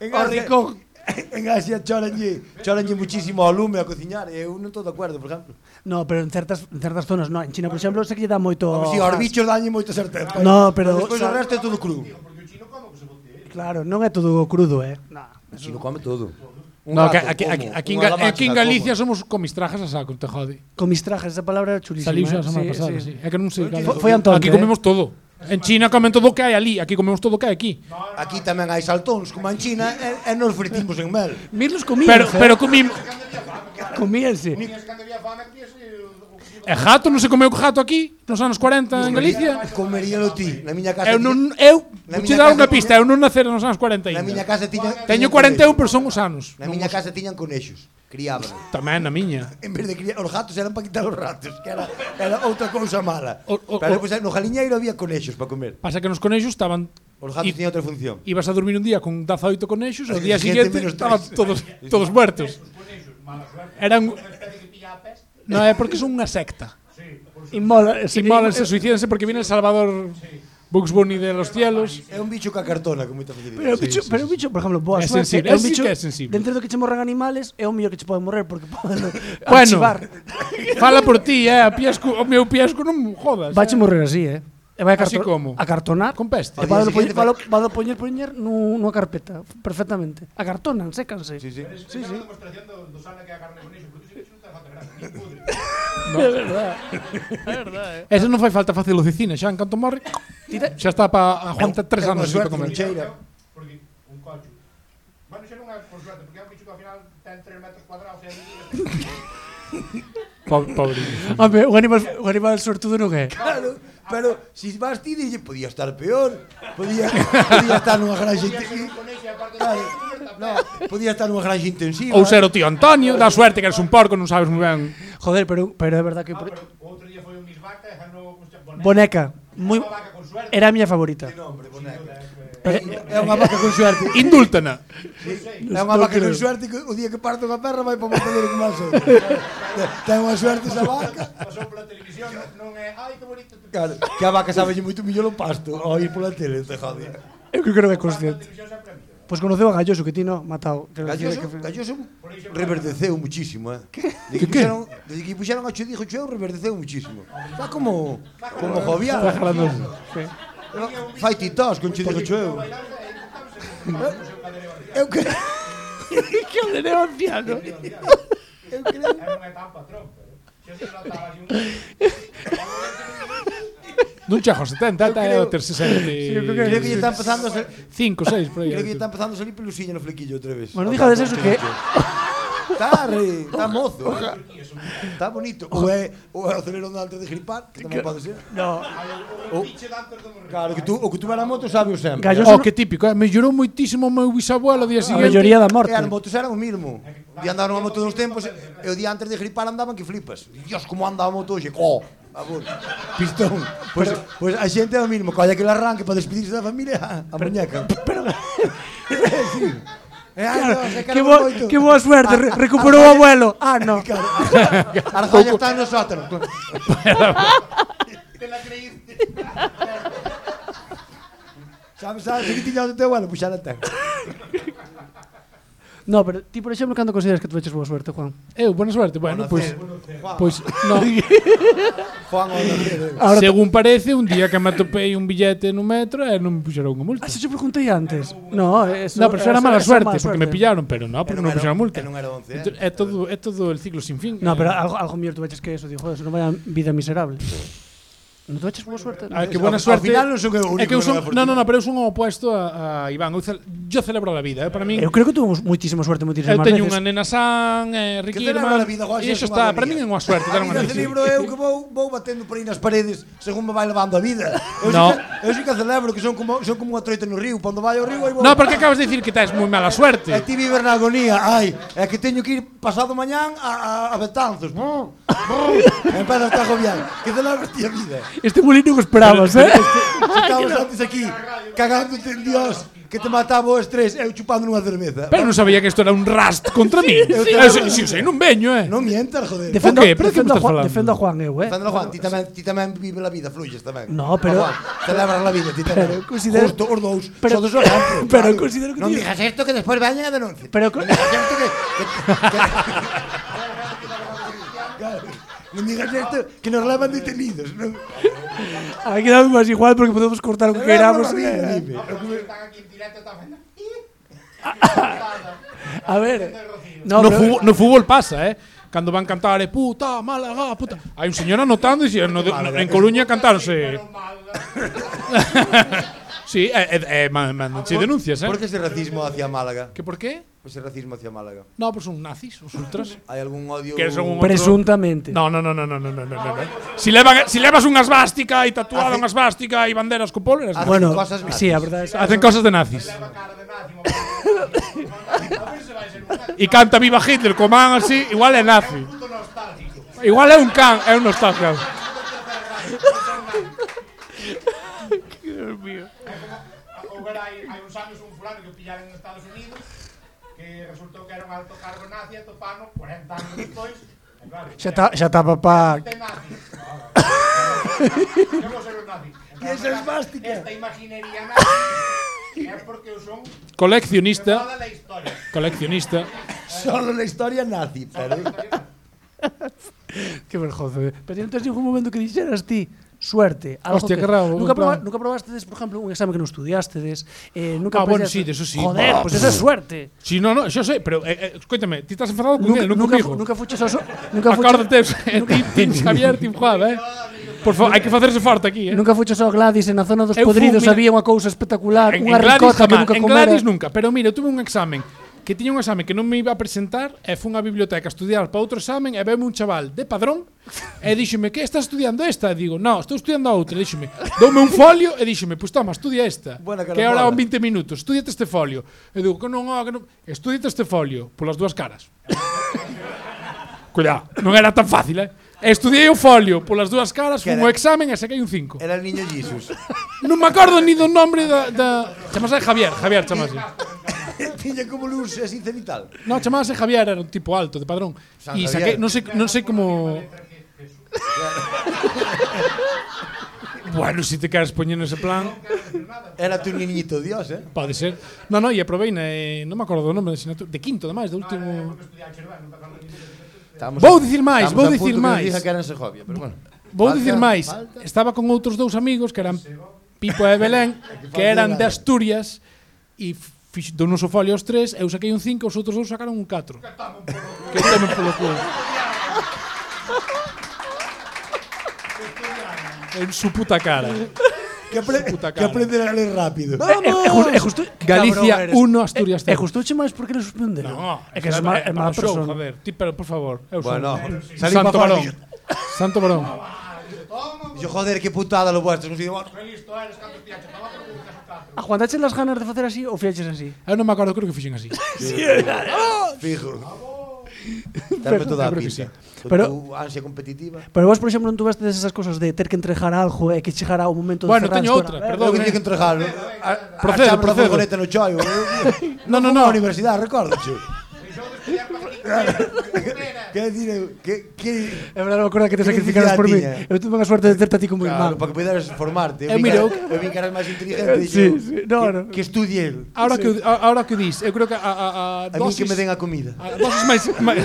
En O ricón. En Asia choranlle, choranlle muchísimo ao lume a cociñar e eu non estou de acordo, por exemplo. No, pero en certas, en certas zonas no. En China, por exemplo, sei que lle dá moito... Como si aos gas. bichos dañe moita certeza. No, pero- Despois o resto é todo cru. porque o chino como que se bote. Claro, non é todo crudo, eh. Nah. Si lo come todo. No, que aquí, aquí, aquí, en, Ga- aquí en Galicia somos comistrajas a saco, te jode. Comistrajes, esa palabra é chulísima. Saliu xa a eh. semana Sí, pasada, sí. sí. É que non sei. Foi- foi Antón, Aquí eh. comemos todo. En China comen todo o que hai ali, aquí comemos todo o que hai aquí. Aquí tamén hai saltóns, como en China, e, e nos fritimos en mel. Mirlos comían, Pero pero comimos comíanse. Tiñas cando había fame, tías E gato non se comeu gato aquí nos anos cuarenta en Galicia. Comeríalo ti. Na miña casa Eu tiña- non eu Na vou miña che dar casa unha tiña- pista, eu non nacer nos anos cuarenta Na ainda. miña casa tiña Teño tiñan cuarenta e un, conexos. pero son os anos. Na miña casa tiñan conexos. Criaban. Tamén na miña. En vez de criar os gatos eran para quitar os ratos, que era, era outra cousa mala. O- o- Pero o- pues, no jaliñeiro había conexos para comer. Pasa que nos conexos estaban Os gatos I- tiñan outra función. ibas a dormir un día con dezaoito conexos, o día Gente siguiente menos estaban tres. todos todos muertos. Eran unha especie que pilla a peste. no é porque son unha secta. Inmola, Se inmolanse, suicídense porque viene el Salvador Bugs Bunny de los cielos. É un bicho que acartona con moita facilidade. Pero o bicho, sí, pero o bicho, por exemplo, boa É suerte, sensible, é un ese sí bicho, que é sensible. dentro do que che morran animales, é o mellor que che poden morrer porque poden Bueno, archivar. fala por ti, eh, a piesco, o meu piesco non me jodas. Vache eh. morrer así, eh. E vai a, Así carto como? a cartonar. Con peste. E Ao día vado poñer, siguiente vado, vado poñer poñer nu, nunha carpeta, perfectamente. A cartonan, sécanse. Sí, sí. Sí, sí. Unha demostración do, do sana que é a carne con iso, porque iso non ten falta grande, ni pudre. É verdade. É verdade, eh. Ese non fai falta facelo de cine, xa en canto morre, Tira, xa está para aguantar tres É anos unha así para suerte comer. non cheira. Porque un cocho. Bueno, xa non é por suerte, porque é un bicho que ao final ten tres metros cuadrados e aí... Pobre. Home, o animal, o animal sortudo non é. Claro, pero si vas ti, dille, podía estar peor. Podía, podía estar nunha granja intensiva. Claro, no, podía estar nunha granja intensiva. Ou ser o tío Antonio, dá suerte que eres un porco, non sabes moi ben. Joder, pero, pero é verdad que... Ah, pero outro día foi un Miss Vaca e ganou Boneca. Muy, Unha vaca con suerte. era a miña favorita. Que nombre, boneca. Pero, É unha vaca con suerte. Indúltana. É unha vaca con suerte que o día que parte unha perra vai para o matadero con máis outro. Ten unha suerte esa vaca. Pasou pola televisión, non é, ai, que bonito. Claro, que a vaca sabe moito millón o pasto ao ir pola tele, te jode. eu creo que non é consciente. Pois conoceu a Galloso, que ti no, matao. Galloso, Galloso reverdeceu muchísimo, eh. De que Que que? puxeron, de que puxeron a Cho dijo Cho, reverdeceu muchísimo. Está como como jovial. Está jalando. Sí. Fai titós con Cho dijo Cho. Eu que que o de anciano. eu creo. É unha etapa trompa. Xa se notaba así un... Non chego aos setenta, ata é o ter sesenta eu creo que- Creo que lle está empezando a ser, cinco, seis, por aí. creo que lle está empezando a salir pelusiña no flequillo outra vez. Bueno, dígades eso que... Está re, está mozo. Está bonito. Ou é, ou é o acelerón de antes de gripar, que tamén pode ser. No, O biche de antes de morrer. Claro, que tú, o que tuve na moto sabe o sempre. Galloso Oh, que típico, eh? Mellorou moitísimo o meu bisabuelo o día a seguinte. melloría da E morte. as motos eran o mismo. Di andaron a moto dos tempos e o día antes de gripar andaban que flipas. Dios, como anda a moto hoxe. Co, a favor. Pistón. Pois pues, pues a xente é o mismo. Colla aquel arranque para despedirse da familia, a muñeca. Pero sí. Eh, ai, Dios, é Que, era bo, moito. que boa suerte, re- A- a- recuperou o a- abuelo. Ah, no. Claro. A Arzolla está no sótano. Te la creíste. Sabes, sabes, que tiña o teu abuelo, pois xa la ten. No, pero ti, por exemplo, cando consideras que tuveches boa suerte, Juan? Eu, buena suerte. Bueno, pois Juan, pois no. Juan, o nacer. Ahora te- Según parece, un día que me atopei un billete no metro e non me puxeron unha multa. Ah, se yo preguntei antes. No, eso, No, pero eso era mala eso suerte, mala porque me pillaron, pero no, porque non me puxeron multa. E non era once, Entón, eh. É todo, é todo el ciclo sin fin. No, pero algo, algo mellor tuveches que eso, digo, joder, eso non vaya vida miserable. Non tuveches boa suerte? Ah, que Ao- buena ao suerte. final non son eu o único É que eu que non son, é no, no, fortuito. no, pero eu son o opuesto a, a Iván. Eu, cel, yo celebro a vida, eh, para min. Eu creo que tuvemos moitísima suerte moitísimas Eu teño veces. unha nena san, eh, Que Ricky celebra Irman, a vida, Juan, e xa iso é unha está, para alegría. min é unha suerte ter A unha vida nena. celebro eu que vou, vou batendo por aí nas paredes según me vai levando a vida. Eu No. sí que, eu sí que celebro que son como, son como unha troita no río. Cando vai ao río, aí vou. No, porque acabas de dicir que tes moi mala suerte. E ti viver na agonía. Ai, é que teño que ir pasado mañán a, a, a Betanzos. Brr, brr. E empeza a estar agobiado. Que celebras ti a vida? Este bolino que esperabas, eh? Estamos antes aquí, cagándote en Dios, que te mataba o estrés, eu chupando nunha cerveza. Pero non sabía que isto era un rast contra mí. Sí, Eu sí. sei, si eu sei, non veño, eh. Non mientas, joder. Defendo, Ok, pero de que defendo, me a estás Juan, falando? defendo a Juan eu, eh? Deféndelo, Juan, ti tamén, ti tamén vive la vida, fluyes tamén. No, pero- Juan, celebras la vida, ti tamén. Pero considero- Justo, os dous, pero- sodes o ejemplo. pero claro. considero que Non tío- digas esto que despois veñen a denuncia. Pero co- Non digas esto que... que, que claro, non digas esto que nos levan detenidos. Non? Aquí damos máis igual porque podemos cortar o que queramos. Celebra la vida, eh. dime. Os que están aquí en directo están facendo... A ver. No, No, pero- fútbol, no fútbol pasa, eh. Cando van cantar, eh, puta, Málaga, puta. Hai un señor anotando e si, no, no, en Coruña cantáronse. Sí, eh, eh, mandanche denuncias, eh. Por que ese racismo hacia Málaga? Que por qué? Ese racismo hacia Málaga. No, pues son nazis, os ultras. Hai algún odio... Que son un- Presuntamente. No, no, no, no, no, no, no, no, no. Si, levan, si levas unha svástica e tatuada Hace- unha svástica e banderas co polo, eres Hacen Bueno, cosas nazis. sí, a verdade é hacen cosas de nazis. Leva cara de nazi, mo- a ver se vai ser un nazi. E canta Viva Hitler co man así, igual é nazi. Puto nostálgico. Igual é un can, é un nostálgico. Dios mío. Houbera hai, hai uns anos un fulano que pillaron en Estados Unidos que resultou que era un alto cargo nazi e topano cuarenta anos despois. E claro, Xa está, xa está papá. este nazi. Que vou ser un nazi. Que esa esvástica. Esta imaginería nazi é porque eu son Coleccionista, toda a historia. coleccionista. Solo la historia nazi, pero... Que vergonza. eh. Pero non tens ningún momento que dixeras ti suerte, algo Hostia, que, que raro, nunca, en plan- proba, nunca probastedes, por exemplo, un exame que non estudiastedes, eh, nunca Ah, bueno, apreciaste- sí, de eso sí. Joder, Ah, pues esa é suerte. Si, no, no, yo sé, pero eh, eh, cuéntame, ti estás enfadado con Nunca, él, non nunca, comigo. fu- nunca fuches ao so, nunca fuches, Acórdate, eh, Team, team Xavier, Team Juan, eh. Por favor, hai que facerse forte aquí, eh. nunca fuches ao Gladys e na zona dos Eu fu, podridos mira, había unha cousa espectacular, En, unha en Gladys ricota que jamás, nunca en comera. Gladys nunca, pero mira, eu tuve un examen que tiña un exame que non me iba a presentar e fun á biblioteca a estudiar para outro examen e veume un chaval de Padrón e díxome, que estás estudiando esta? E digo, no, estou estudiando a outra. E díxome, doume un folio e díxome, pois toma, estudia esta, Buena que ahora carambola. son vinte minutos, estudiate este folio. E digo, que non, oh, que non, estudiate este folio polas dúas caras. Cuidado, non era tan fácil, eh? E estudiei o folio polas dúas caras, Que fun era? o examen e saquei un cinco. Era el niño Jesus. Non me acordo ni do nombre da... da... Chamase Javier, Javier chamase. Tiña como luz así cenital. No, chamase Javier, era un tipo alto, de Padrón. San E Javier. saquei, non sei, non sei como... Bueno, si te queres poñer nese plan, Era tu niñito Dios, eh? pode ser. No, no, e aprobei, eh, non me acordo do nome da asignatura, de quinto, ademais, do último... Estamos Vou a- dicir máis, estamos vou a dicir punto que nos máis. diga que era en Segovia, pero bueno. Vou Falta- dicir máis, falta. estaba con outros dous amigos que eran Pipo e Belén, que eran de Asturias, e fix, do noso folio os tres, eu saquei un cinco, os outros dous sacaron un catro. Que tomen polo culo. En su puta cara. Que, apre puta que cara. aprender a ler rápido. É justo, é justo Galicia uno, Asturias É cero. justoche máis porque le suspenderon. No, é que é má, é má show, persona. joder. Ti, pero, por favor, eu son. Bueno, salí Santo pa fora, Barón. dixo- Santo Barón. Dixo, joder, que putada lo vuestro. Non sei, bueno, Aguantache las ganas de facer así ou fiaches así? Eu non me acordo, creo que fixen así. fijo. Darme toda a creo que pinta. Con Pero- tu ansia competitiva. Pero vos, por exemplo, non tuveste esas cosas de ter que entregar algo e que chegara o momento de Bueno, cerrar teño esto outra, era- perdón. Lo que eh. tiña que entregar. Procedo, Achame la procedo. furgoneta no choio. No, no, Fomos no. á universidade, recordo, chu. Quer decir, eu, que, que, É verdade, me acordo que te Que sacrificaras por mí. necesidade tiña? Eu tuve unha suerte de terte a ti como claro, irmán. para que puderas formarte. Eh, vi mira, que, eu- eu vi que eras máis inteligente. Sí, dixo, sí, no, que, no. que estudie el. Ahora que a- ahora que dis, eu creo que a a a A mí que dosis me den a comida. a dosis máis máis-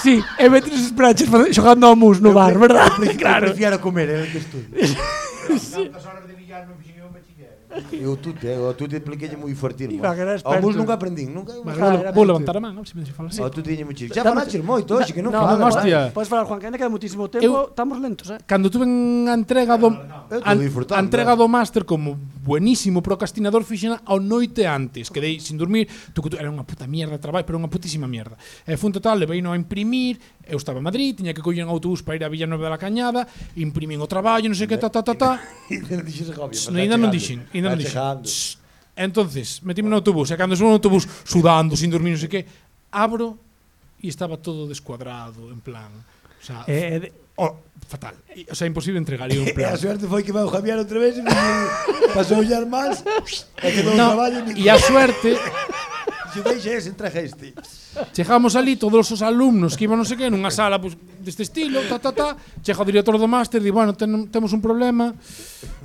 Sí, e metes os pranches xogando ao mus no bar, verdad? Eu Claro. prefiero comer, é o que estudie. Tantas horas de billar non fixen eu un bachiller. Eu tute, eu tute expliquei moi fortín. Iba, que era Ao mus experto. nunca aprendín, nunca. Vale, Ah, vou, era vou mente. levantar a man, a ver se me deixa falar así. Ao tute tiña moito. Xa Dame- falaches moito, hoxe que non No, fala. non, hostia. Podes falar, Juan, que ainda queda muchísimo tempo. Estamos lentos, eh? Cando tuve a entrega do Eu a, tô disfrutando, a entrega eh. do máster como buenísimo procrastinador fixena ao noite antes, quedei sin dormir, tu, tu, era unha puta mierda de traballo, pero unha putísima mierda. E fun total, levei no a imprimir, eu estaba en Madrid, tiña que coller un autobús para ir a Villanueva da Cañada, imprimín o traballo, non sei que, ta ta ta ta. Non dixes Segovia, No, ainda non dixen, ainda non Está dixen. chegando. Shh. Entonces, metíme no autobús, e cando subo no autobús, sudando, sin dormir, non sei que, abro e estaba todo descuadrado, en plan, o sea, Eh, de- oh, fatal. E, o sea, imposible entregar un E plan. a suerte foi que vai o Javier outra vez e non pasou ollar máis e quedou o No, traballo e a suerte, se deixa ese, entrega este. chegamos ali todos os alumnos que iban non sei que nunha sala pues, deste estilo, ta ta ta, chega o director do máster, di, bueno, ten, temos un problema,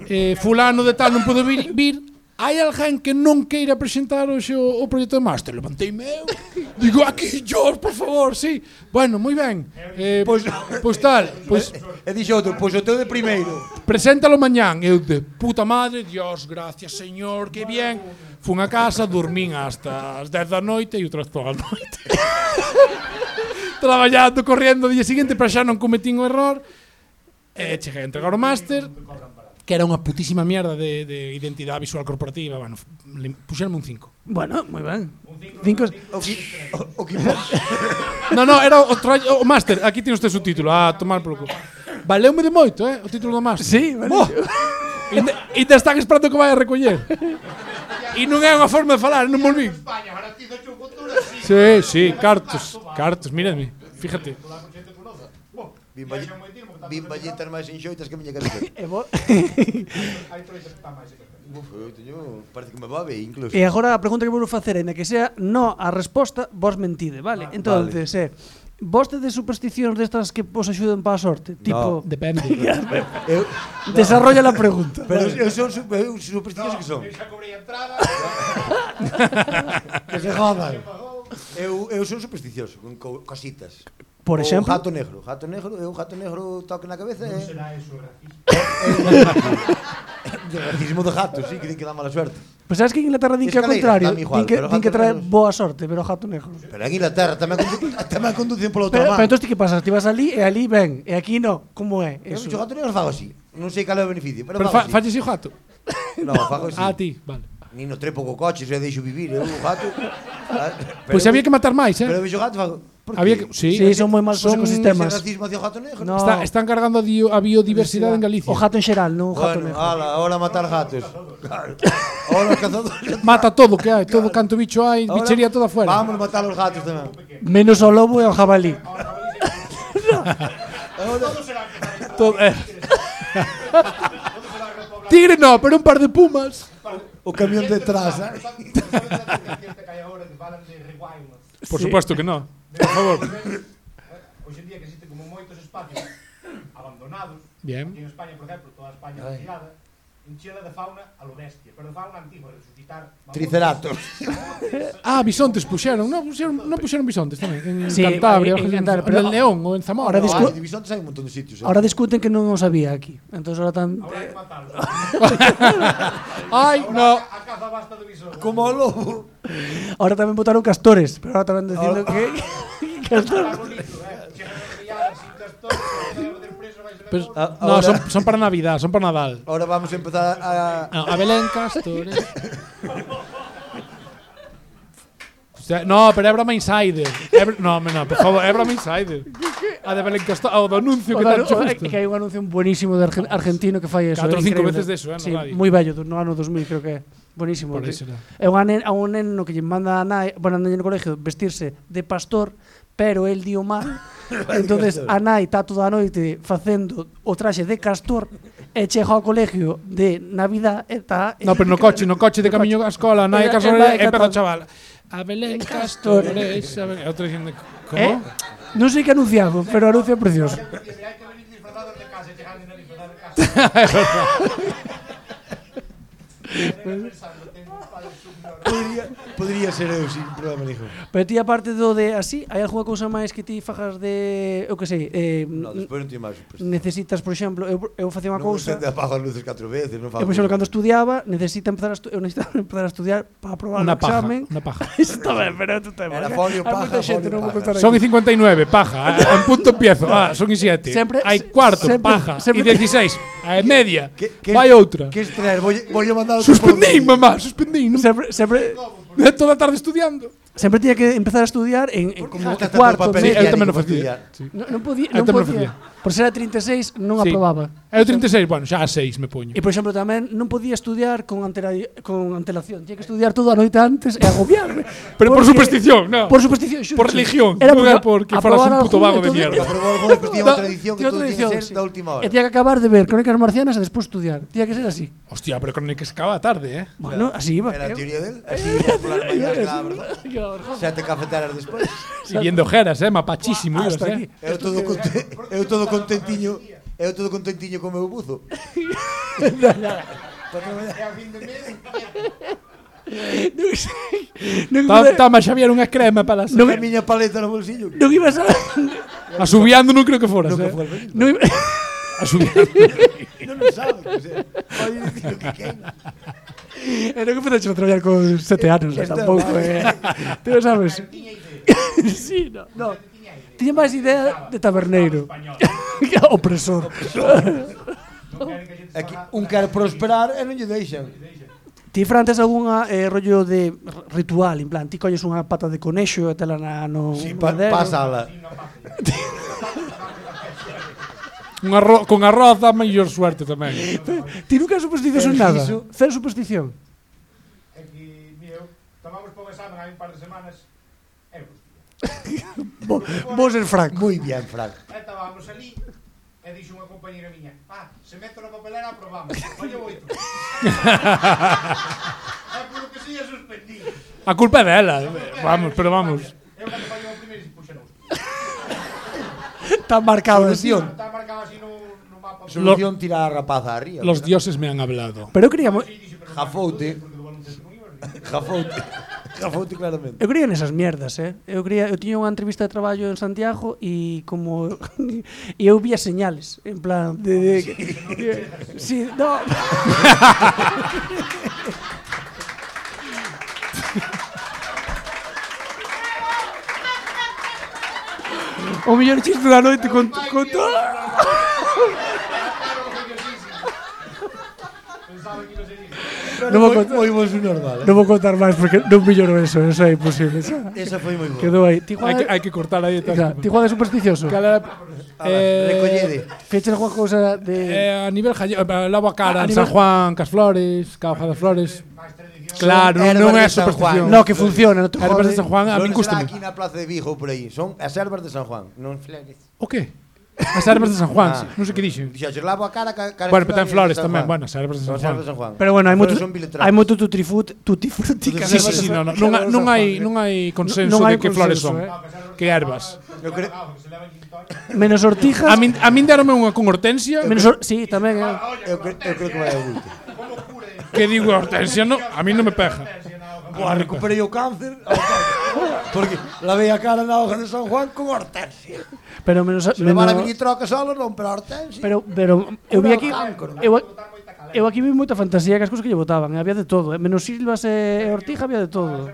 eh, fulano de tal non pode vir, vir, hai alguén que non queira presentar hoxe o, o proxecto de máster? Levanteime eu, digo, aquí, George, por favor, sí. Bueno, moi ben, eh, pois, pois tal, pois E dixo outro, pois o teu de primeiro. preséntalo mañán. Eu de puta madre, Dios, gracias, señor, que bien. Fun a casa, dormín hasta as dez da noite e outra vez toda a noite. Traballando, correndo o día seguinte para xa non cometín o error. E cheguei a entregar o máster, que era unha putísima mierda de, de identidade visual corporativa. Bueno, lim- puxerme un cinco. Bueno, moi ben. Cinco... O que o, o que No, no, era o, tra- o máster. Aquí tiene usted su título. A tomar polo cu. Valeume de moito, eh, o título do máster. Sí, vale. Oh, ainda, ainda están esperando que vai a recoller. E non é unha forma de falar, non volví. España, ahora ti do futuro, sí. Sí, sí, cartos, cartos, mírame, fíjate. Bimba, bimba lletas máis enxoitas que a miña cabeza. E, vo... Hai proxectos que están máis que Uf, eu teño, parece que me va ben incluso. e agora a pregunta que vou facer, ainda que sea no a resposta, vos mentide, vale? Entonces, eh, vos tedes supersticións destas que vos axuden para a sorte? Tipo, Depende. Eu, desarrolla la pregunta. pero eu son su- eu supersticioso que son. xa cobrei a entrada. Que se jodan. Eu, eu son supersticioso con co, cositas. Por O exemplo, gato negro, gato negro, eu gato negro toque na cabeza Non e será eso racista. de racismo de gato, sí, que din que dá mala suerte. pues sabes que en Inglaterra din que ao Escaleras, contrario, dame igual, din que, pero din que gato trae negro- boa sorte, pero gato negro. Pero en Inglaterra tamén condu tamén conducen pola outra Pero, man. pero entonces ti que pasa? Ti vas ali e ali ben, e aquí no, como é? Eu Eso. o gato negro fago así. Non sei cal é o beneficio, pero, Pero fago fa, así. falles o gato. No, fago así. Ah, ti, vale. Nin no trepo co coche, se deixo vivir, eu o gato. Pois había que matar máis, eh? Pero vexo gato, fago, por Había que? que, sí, Sí, son moi malos os Son ecosistemas. ese racismo hacia o gato negro. No. Está, están cargando a, dio, a biodiversidade en Galicia. O gato en xeral, non o gato Bueno, negro. ala, ahora matar gatos. Claro. Ahora os cazadores. Mata todo que hai, todo canto bicho hai, Ahora bichería toda fuera. Vamos a matar os gatos tamén. Menos ao lobo e ao jabalí. Todo, eh. Tigre no, pero un par de pumas. O camión detrás, eh? Por supuesto que no. Por favor. Hoxe en día que existen como moitos espacios abandonados. Bien. Aquí en España, por exemplo, toda España retirada, enchida de fauna a lo bestia, pero de fauna antigua, resucitar Triceratops. Ah, bisontes puxeron, non puxeron, non puxeron bisontes tamén en Sí, Cantabria, en- en en, Cantabria, en, pero el León ou en Zamora. ahora discu- Ah, de bisontes hai un montón de sitios, eh? Ahora discuten que non o sabía aquí. Entonces ahora tan Ahora hai que matarlos. Ai, no. A caza basta de visor. Como o lobo. ahora tamén votaron castores, pero ahora tamén dicindo que Está bonito, eh. Chegan as riadas sin castores, se van a meter preso, vais a ver Pero, todo. Ah, no, ahora- son, son para Navidad, son para Nadal. Ahora vamos a empezar a... No, a Belén Castores. O sea, no, pero é broma insider. É br- no, no, por favor, é broma insider. A de Belén Castores, o do anuncio O que dar- tan o- xusto. é que hai un anuncio buenísimo de argen- argentino que fai eso. Catro é ou cinco increíble. veces deso, eh, no Sí, radio. moi bello, do- no ano dos mil creo que é. Buenísimo. Por que- eso era. É un neno, a un neno que lle manda a nai, bueno, anda no colegio vestirse de pastor, pero el dio mal. Entonces a nai está toda a noite facendo o traxe de castor e chega ao colegio de Navidad e está No, pero no coche, no coche de camiño á escola, nai Eh, Castores, eh, e empeza o cantando. chaval. A Belén Castores, a Belén... E outro dicindo, como? Eh, non sei que anunciado, pero o anuncio é precioso. Hai que venir disfrazados de casa, chegan de disfrazados de casa. Pensando, tengo un padre subnormal. Podría, podría ser eu sin problema ninguén. Pero ti aparte do de así, hai algunha cousa máis que ti fajas de, eu que sei, eh, No, despois non tiene máis. Pues, necesitas, por exemplo, eu, eu facía unha non cousa, se apago as luces catro veces, non eu fago. por exemplo cando estudiaba, necesita empezar a estu eu necesitaba empezar a estudiar para aprobar Una o paja, examen. una paja. Está ben, pero tu tema. Era folio, Hai moita paja, xente, folio, non vou paja. contar Son aquí. y cincuenta y nueve, paja. En punto empiezo. Ah, son y siete. Sempre- Hay cuarto, sempre- paja. sempre- Y dieciséis. A media. Que- que- Vai outra. Que extraer, voy, voy a mandar Suspendín, mamá, suspendín. Non- Sempre, sempre, Toda a tarde estudiando. sempre tiña que empezar a estudiar en, en como gastas tanto cuarto, papel medio. eu tamén o higiénico para facía. estudiar? Sí. Non, non podía, Eu non tamén o podía. Por ser a trinta e seis non Sí. aprobaba. Eu trinta e seis, bueno, xa a seis me poño. E por exemplo tamén non podía estudiar con, antera, con antelación. Tiña que estudiar toda a noite antes e agobiarme. Pero por Porque- superstición, no. Por superstición, xuro. Por religión, Era non era porque porque foras un aprobar puto algún vago de entonces- mierda. Aprobou algo despois tiña Da- unha tradición que tiña todo tiña tradición, que ser sí. da última hora. E tiña que acabar de ver Crónicas Marcianas e despois estudiar. Tiña que ser así. Hostia, pero con el que se acaba tarde, eh. Bueno, así iba. Era a Eu- teoría del, así iba polas mañas, la verdad. Yo, Sete cafeteras despois. Y viendo ojeras, eh, mapachísimo ibas, Hasta eh. aquí. Eu todo conte, eu todo contentiño, eu todo contentiño co meu buzo. E a fin de mes, Non sei. Non Ta- iba- Tama Xavier unha crema para as... Non a miña paleta no bolsillo. non ibas a... Asubiando non creo que foras, Nunca eh. foi al baño. Non iba... Asubiando. Non lo sabe, o sea, vai dicir o que queira. Era que empezaste a traballar con sete anos, eh, Está tampouco, mal. eh. Ti non sabes. tiña idea. Sí, no, no. Tiña idea. Tiña máis idea de taberneiro. Español. Opresor. Non queren que a xente se Aquí faga- un quer prosperar e non lle deixan. Ti, Fran, tes algunha eh, rollo de r- ritual, en plan, ti colles unha pata de conexo e tela na, no Si, pa, madero. pásala. Un arroz, con arroz dá maior suerte tamén. Ti nunca supersticios en Pero nada. iso- Cero superstición. É que, mira, eu tomamos por un examen hai un par de semanas e eu hostia. Bo, vos ser franco. Moi bien, Frank. E estábamos ali e dixo unha compañera miña, ah, se meto na papelera aprobamos. Olha oito. É polo que si é suspendí. A culpa é dela. Vamos, pero vamos. Eu cando fallo o primeiro, puxa non. Está marcado así. Solución. Está marcado así no, no mapa. Solución tirar a rapaza arriba. Los dioses me han hablado. Pero eu quería, mo- Sí, dixo, pero Jafoute. porque do baloncesto non ibas. Jafoute. Jafoute claramente. eu quería nesas mierdas, eh. Eu quería, eu tiña unha entrevista de traballo en Santiago e como e eu vía señales, en plan de, de, de sí, no. O mellor chiste da noite con, con todo. Pensaba Non vou contar, Moi bon subnormal. non vou contar máis porque non milloro eso, eso é imposible. Esa, Esa foi moi boa. quedou aí. Ti Hai que, Juan, hai que cortar aí. Claro, ti Juan é supersticioso. Cal era, eh, Recollede. Feches alguna cousa de... eh, a nivel gallego, eh, lavo a cara A en nivel- San Juan, cas flores, ca hoja das flores. Claro, Son non é herbas de San superstición. Juan. No, que funciona, non te Herbas jode. de San Juan, a min Solo será gústame. aquí na plaza de Vigo ou por aí. Son as ervas de San Juan, non flores. O que? As ervas de San Juan, Ah. sí. Non sei que dixen. Dixaxes, lavo a cara ca, cara Bueno, pero ten flores de San tamén, Juan. bueno, as ervas de Son San as ervas de Juan. San Juan. Pero bueno, hai moito Flores son biletradas. hai moito tutti frutti, tutti frutti que Sí, as sí, ervas sí, de no, San- no, que non, as hai- ervas non de San hai Juan, non hai consenso Non hai de que flores consenso, son. eh. Que ervas. Eu creo, eh. Menos ortijas. A min a min deronme unha con hortensia, Menos or... Sí, tamén. Eh. eu, cre, eu creo que vai a último. que digo hortensia, no, a min non me pega. Boa, recuperei o cáncer. Porque lavei a cara na hoja de San Juan con hortensia. Pero menos Se levar a menos militroca solo non, pero a hortensia. Pero pero eu vi aquí Cancro. eu eu aquí vi moita fantasía que as cousas que lle botaban, eh, había de todo, eh. Menos silvas e ortija había de todo.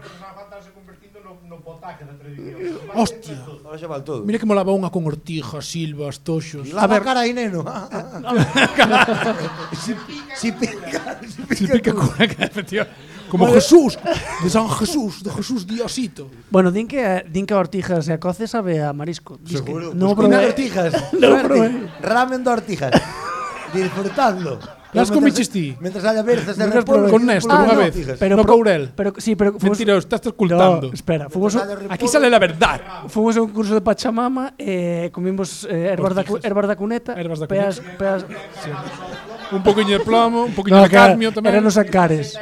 Hostia. Ahora xa vale todo. Mira que molaba unha con ortijas, silvas, toxos. Lava a cara aí, neno. si, si pica, si pica. Se pica con como Jesús, de San Jesús, de Jesús Diosito. Bueno, din que eh, din que a ortija se a coce sabe a marisco. Dis que Seguro. non Pues probé. cocina de ortijas. No Suerte. probé. Ramen de ortijas. Disfrutando. Las Mientras- comiches ti? Mientras haya berzas de Nunca repollo. probé. Con Néstor, Ah, unha no, vez. pero no pro- Courel. Pero sí, pero fuimos, Mentiroso, estás ocultando. No, espera, fuimos Mientras haya Aquí repollo- sale la verdad. Fomos a un curso de Pachamama e eh, comimos eh, herbas, da, cu- herbas da cuneta, Herbas da peas, peas, Un poquinho de plomo, un poquinho no, de que era, cadmio tamén. eran os ancares.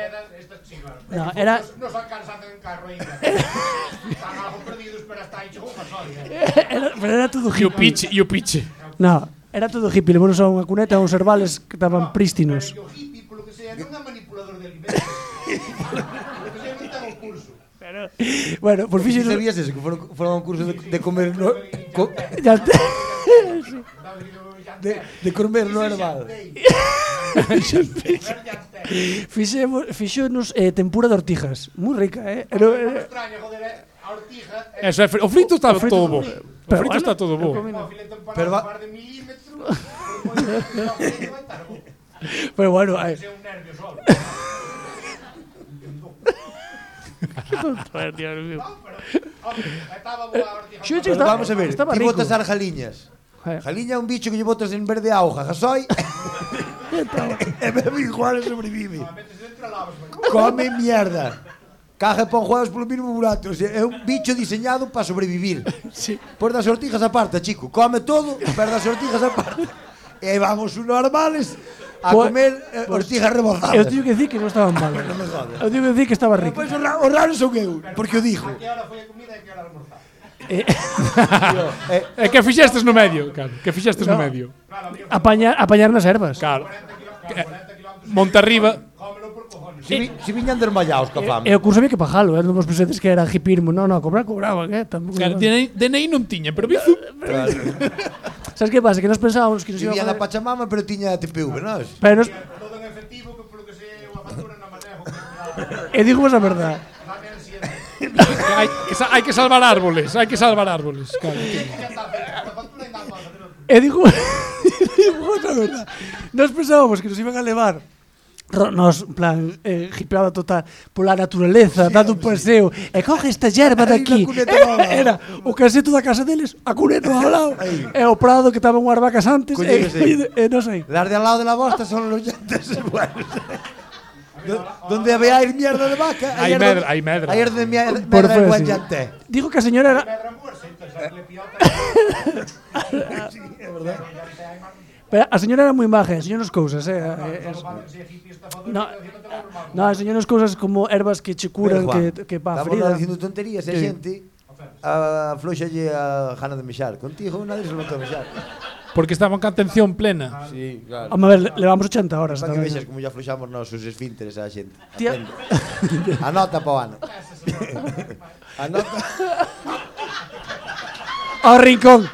No, era No sacan en carro ainda. Están algo perdidos, pero hasta aí chegou unha solia. era, pero era todo E o hippie. piche, e o piche. No, era todo hippie, levamos a unha cuneta a uns herbales que estaban prístinos. Pero o hippie, polo que sea, non é manipulador de alimentos. Polo que sea, non ten o curso. Bueno, por Si fixo sabías eso, que foron, foron a un curso de, de comer no, co, ya te, de, de comer no herbal. fixemos, fixonos eh, tempura de ortijas, moi rica, eh. Era, Non era, extraña, joder, a ortija é Eso é fri- o frito está frito- todo bo. O pero frito bueno, está todo bo. o filete empanado Pero va- un par de milímetros, por moi que o filete vai estar bo. pero bueno, ai, É un nervio solo. Ay, Dios mío. No, pero, home, estaba boa a ortija. Xo, Pero Está- vamos a ver, estaba ti rico. botas as jaliñas. Eh. Jaliña é un bicho que lle botas en verde a hoja, gasoi. E bebe igual e sobrevive. Metes dentro e lavas, vai. Come mierda. Caja e pon juegos polo mínimo burato. O sea, é un bicho diseñado para sobrevivir. Sí. Por das sortijas aparte, chico. Come todo, pero das sortijas aparte. E vamos unos normales a Pues- comer eh, ortijas rebozadas. Eu teño que decir que non estaban mal. Non me jodas. Eu teño que decir que estaba rico. Pois o ra- o raro son eu, porque o dijo. Que hora foi a comida e que hora almorzar. Eh, Eh, É que fixestes no medio, claro, que fixestes no No. medio. Claro, amigo, apañar, apañar nas ervas. Claro. cuarenta kilómetros. Monte arriba. Cómelo por cojones. si, vi- si viñan desmayados ca fame. E o curso había que pajalo, eh? Non vos pensedes que era hipismo. Non, non, cobrar cobraban, eh? Tampouco. Claro, D N I, D N I non tiña, pero bizu. Sabes que pasa? Que nos pensábamos que nos Si iba a viñan a joder. Pachamama, pero tiña T P V, non? Pero nos, Todo en efectivo, que polo que sea, unha factura na manejo. Que e digo vos a verdade. dame el siguiente. hai, que sa- hai que salvar árboles, hai que salvar árboles. Claro. Ya está, a factura ainda pasa, pero E digo, digo vos a verdade. Nos pensábamos que nos iban a levar ro- nos, en plan, eh, hipeada total pola naturaleza, dando un paseo e coge esta yerba de Aí aquí. na cuneta nova. Era o caseto da casa deles, a cuneta ao lado, e o prado que estaban unhas vacas antes, e, Collíguese. e, e non sei. Las de al lado de la bosta son los llantes buenos. Do- Donde había ir mierda de vaca, Hay herda- medra, hay medra. Hay herda de mier- Por medra de fe, buen sí. llante. Dijo que a señora era... pedra muerta, entonces le piota. Pero a señora era moi maja, enseñou nos cousas, eh. eh, es- Si es hippie estafador, No. no te normal. No, enseñou nos cousas como ervas que che curan, Pero, que, que pa estamos ferida. dicindo tonterías, e Sí. xente a floxalle a gana de mexar. Contigo nadie se lo a mexar. Porque estaban con atención plena. Sí, claro. Home, a ver, levamos ochenta horas. Para que tamén. vexas como ya floxamos nosos esfínteres a xente. Tía- Atende. Anota pa o ano. Anota. Ao rincón.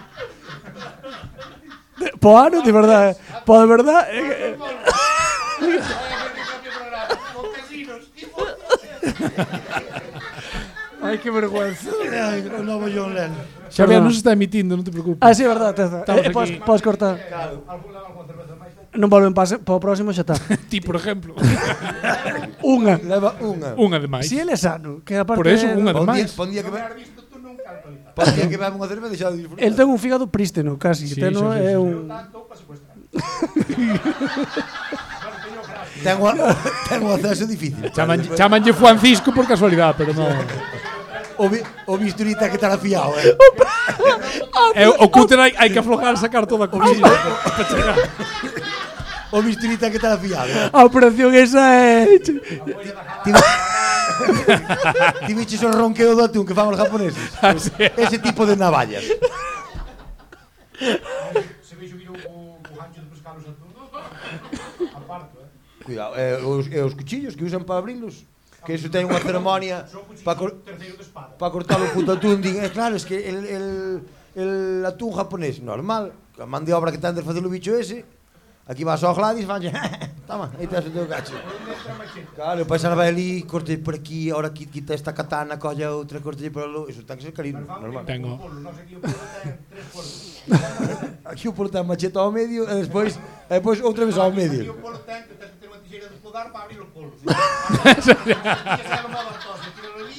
De- Po ano, de verdade. Po de verdade. eh, eh, Ai, que vergüenza. Ai, o novo John Lennon. Xavier Perdón. non se está emitindo, non te preocupes. Ah, sí, verdade, teza. Estamos Eh, podes, aquí. podes cortar. Non volven para o próximo xa está. Ti, por exemplo. Unha. Leva unha. Unha de máis. Si ele é sano, que aparte Por eso, unha de Pon día, máis. pon día que Non ve, has visto tú nunca alcoholizado. pon día que bebe unha cerveza deixado de disfrutar. el ten un fígado prísteno, casi. Sí, Ten sí, sí, é sí. un Tanto para secuestrar. Bueno, teño gracia. Ten o, ten o acceso difícil. Chaman, chamanlle Francisco por casualidade, pero non. O, bi, o bisturita que te la fiado, eh. É, o cúter hai, hai que aflojar, sacar toda a comida para chegar. O bisturita que te la fiado. Eh. a operación esa é Ti, ti biches o ronqueo do atún que fan os japoneses. Así é. Ese tipo de navallas. Se veixo que o o gancho de pescar os atún. Aparto, eh. Cuidado, eh, os, eh, os cuchillos que usan para abrilos, que eso ten unha ceremonia Son cuchillos para cor, terceiro de espada. pa cortar o puto atún. Din, eh, claro, es que el, el, el atún japonés normal, a man de obra que ten de facer o bicho ese, aquí vas ao Gladys, vanlle, toma, aí tes o teu gacho. Claro, paisa na vai ali, corte por aquí, ahora qui- quita esta katana, colla outra, corte por lo, eso ten que ser carino, normal. Tengo. Non sei que o polo ten tres polos. Aquí o polo ten macheta ao medio e despois, e despois outra vez ao Aquí medio. o polo ten que tens que ter unha tixeira de podar para abrir o polo. Que se haga modo artosa, tíralo ali.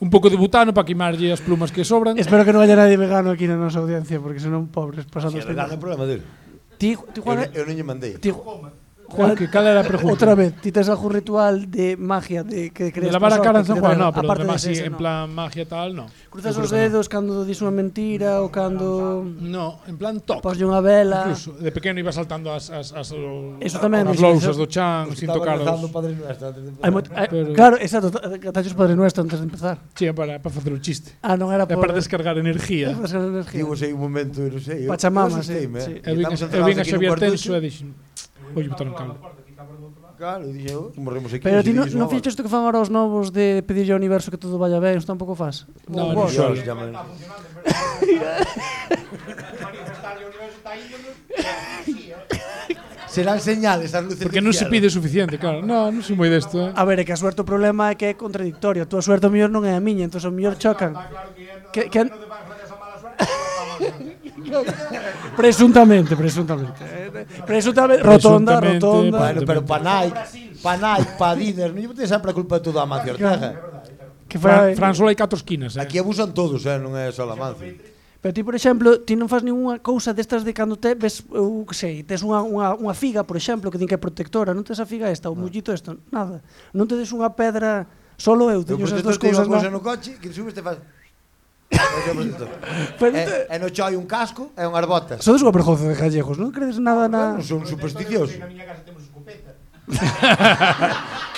Un pouco de butano para quimarlle as plumas que sobran. Espero que non haya nadie vegano aquí na nosa audiencia, porque senón pobres pasando Se este regala o problema dele. Ti, ti Eu, Juan, ne- eu non lle mandei. ti, Juan, que cal era a pregunta? outra vez, ti tes algún ritual de magia de que De crees lavar a cara en San Juan, no, pero aparte de dese, masi, ese, en no. plan magia tal, no. Cruzas Eu os creo que dedos cando dis unha mentira ou cando No, en plan toc. poslle unha vela. Incluso de pequeno iba saltando as as as, o- Eso tamén, as eso- lousas eso- do chan sin Estaba tocar rezando os. o Padre Nuestro antes de Hai moito- hai- Pero- Claro, exacto, catachos Padre Nuestro antes de empezar. Sí, para para facer o chiste. Ah, non era É por para descargar energía. para descargar energía. Digo, sei un momento, non sei. eu- Pachamama, eu assusteime, sí, eh. sí. Eu vin Estamos eu encerrados vin a aquí nun Xavier cuartucho. Tenso e dixen, "Oi, botar un calo." Claro, dije, oh, morremos aquí. Pero así ti non, dixo, non "Ah, fixes isto que fan ahora os novos de pedirlle ao universo que todo vaya ben, isto tampouco fas. No, Ou no, vos? solo. Dios, llaman. Está funcionando, en verdade. Manifestar o universo está índole. Sí, eh. Serán señales as luces Porque del non se cielo. pide suficiente, claro. No, non sou moi desto, eh. A ver, é que a suerte o problema é que é contradictorio. A túa suerte o mellor non é a miña, entón o mellor chocan. Está claro que é Que- que- no de Bangladesh a mala suerte. pero vamos, Presuntamente, presuntamente. Eh, Presuntamente, rotonda, Presuntamente, rotonda. Bueno, pero Panay, Panay, Padidas, non ten sempre a culpa de todo a Amancio Ortega. Que Fran, foi Fran solo hai catro esquinas, eh. Aquí abusan todos, eh, non é só Amancio. Pero ti, por exemplo, ti non fas ninguna cousa destas de cando te ves, eu que sei, tes unha, unha, unha figa, por exemplo, que din que é protectora, non tes a figa esta, o mullito isto, nada. Non te des unha pedra, solo eu, Eu teño esas protector dos te digo cousas, a cousa non? no coche, que subes te faz... É o protector. Pero E, te- e no choi un casco e unhas botas. sodes unha vergonza de gallegos, non credes nada na... Bueno, son supersticiosos. Na miña casa temos escopeta.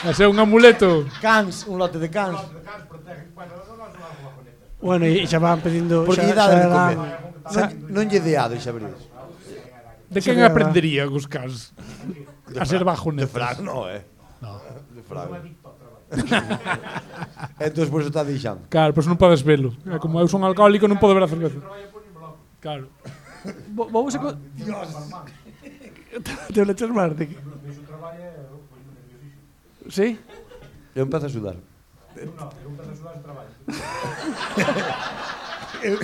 Ese é un amuleto. Cans, un lote de cans. Os de cans protegen. Bueno, non nos vamos a conectar. Bueno, e xa van pedindo... Porque xa, lle dá de xa comer. dan- Non, non lle deado, xa veredes. De Ese quen é aprendería os cans? A ser bajo De netas. Fran, no, eh. No. De Fran. Non é adicto ao traballo. Entón, por eso está deixando. Claro, pois non podes velo. É como eu son alcohólico, non podo ver a cerveza. Traballo por un blog. Claro. Vo- Vamos a... co- Te o lechas máis de que... Iso traballo é foi moi nerviosísimo. Sí? Eu empezo a sudar. Eu non, eu para sudar ese traballo. Eu,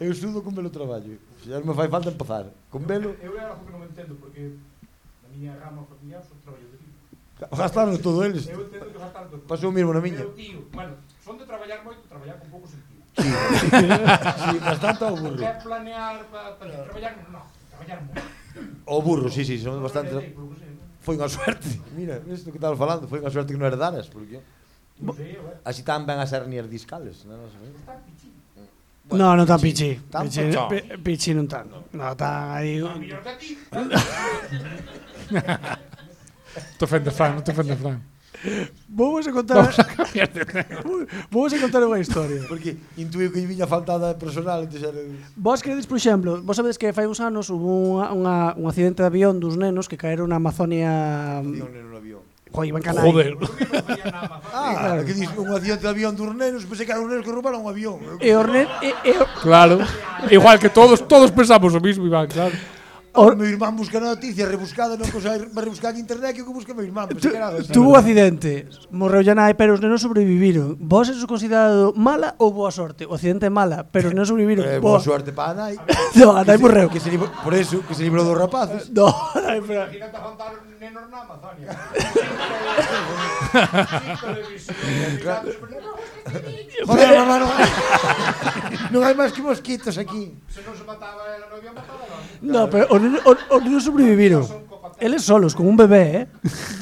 eu sudo con velo traballo. Xa me fai falta empezar. Con velo, Eu é algo que non entendo porque na miña rama familiar son traballo de tío. gastaron todo eles. Eu entendo que gastar todo. Pasou o mismo na miña. Eu tío, bueno, son de traballar moito, traballar con pouco sentido. Sí, bastante ao burro. Quer planear para pa, traballar, non, traballar moito. O burro, sí, sí, son bastante... Sei, polo que sei, non? Foi unha suerte. Mira, isto que estabas falando, foi unha suerte que non herdaras, porque Non sei, eu, eh. así tan ben as hernias discales, non? Está pichín. No, non tan pichi. Tan Pichi, pochón. pi- pichi non tan. No, tan aí... A mellor que a ti. Te ofende Fran, non te ofende Fran. Vamos a contar... Vamos a cambiar de tema. Vamos a contar unha historia. Porque intuíu que lle viña faltada personal, entón era... Vos credes, por exemplo, vos sabedes que fai uns anos hubo unha, unha, un accidente de avión dos nenos que caeron na Amazonia... Avión en un avión. Joder, iban canai. Joder. Eu non facía nada máis. Ah, que dis un accidente de avión dos nenos, pensei que eran os nenos que roubaron un avión. E os nenos... E, e, Claro. Igual que todos, todos pensamos o mismo, Iván, claro. O meu irmán busca noticias rebuscada, non consegue rebuscar en internet que o que busca meu irmán. Pues, tuvo un accidente, morreu ya nai, pero os nenos sobreviviron. Vos eso considerado mala ou boa sorte? O accidente é mala, pero os nenos sobreviviron. Eh, boa sorte para a nai. No, a nai morreu. Que se librou, por eso, que se librou dos rapaces. No, a nai morreu. Imagínate aguantar nenos na Amazonia. Joder, mamá, non hai, non hai máis que mosquitos aquí. Se non se mataba ela, non había matado ela. No, pero os nenos, os, os nenos sobreviviron. Eles solos, con un bebé, eh?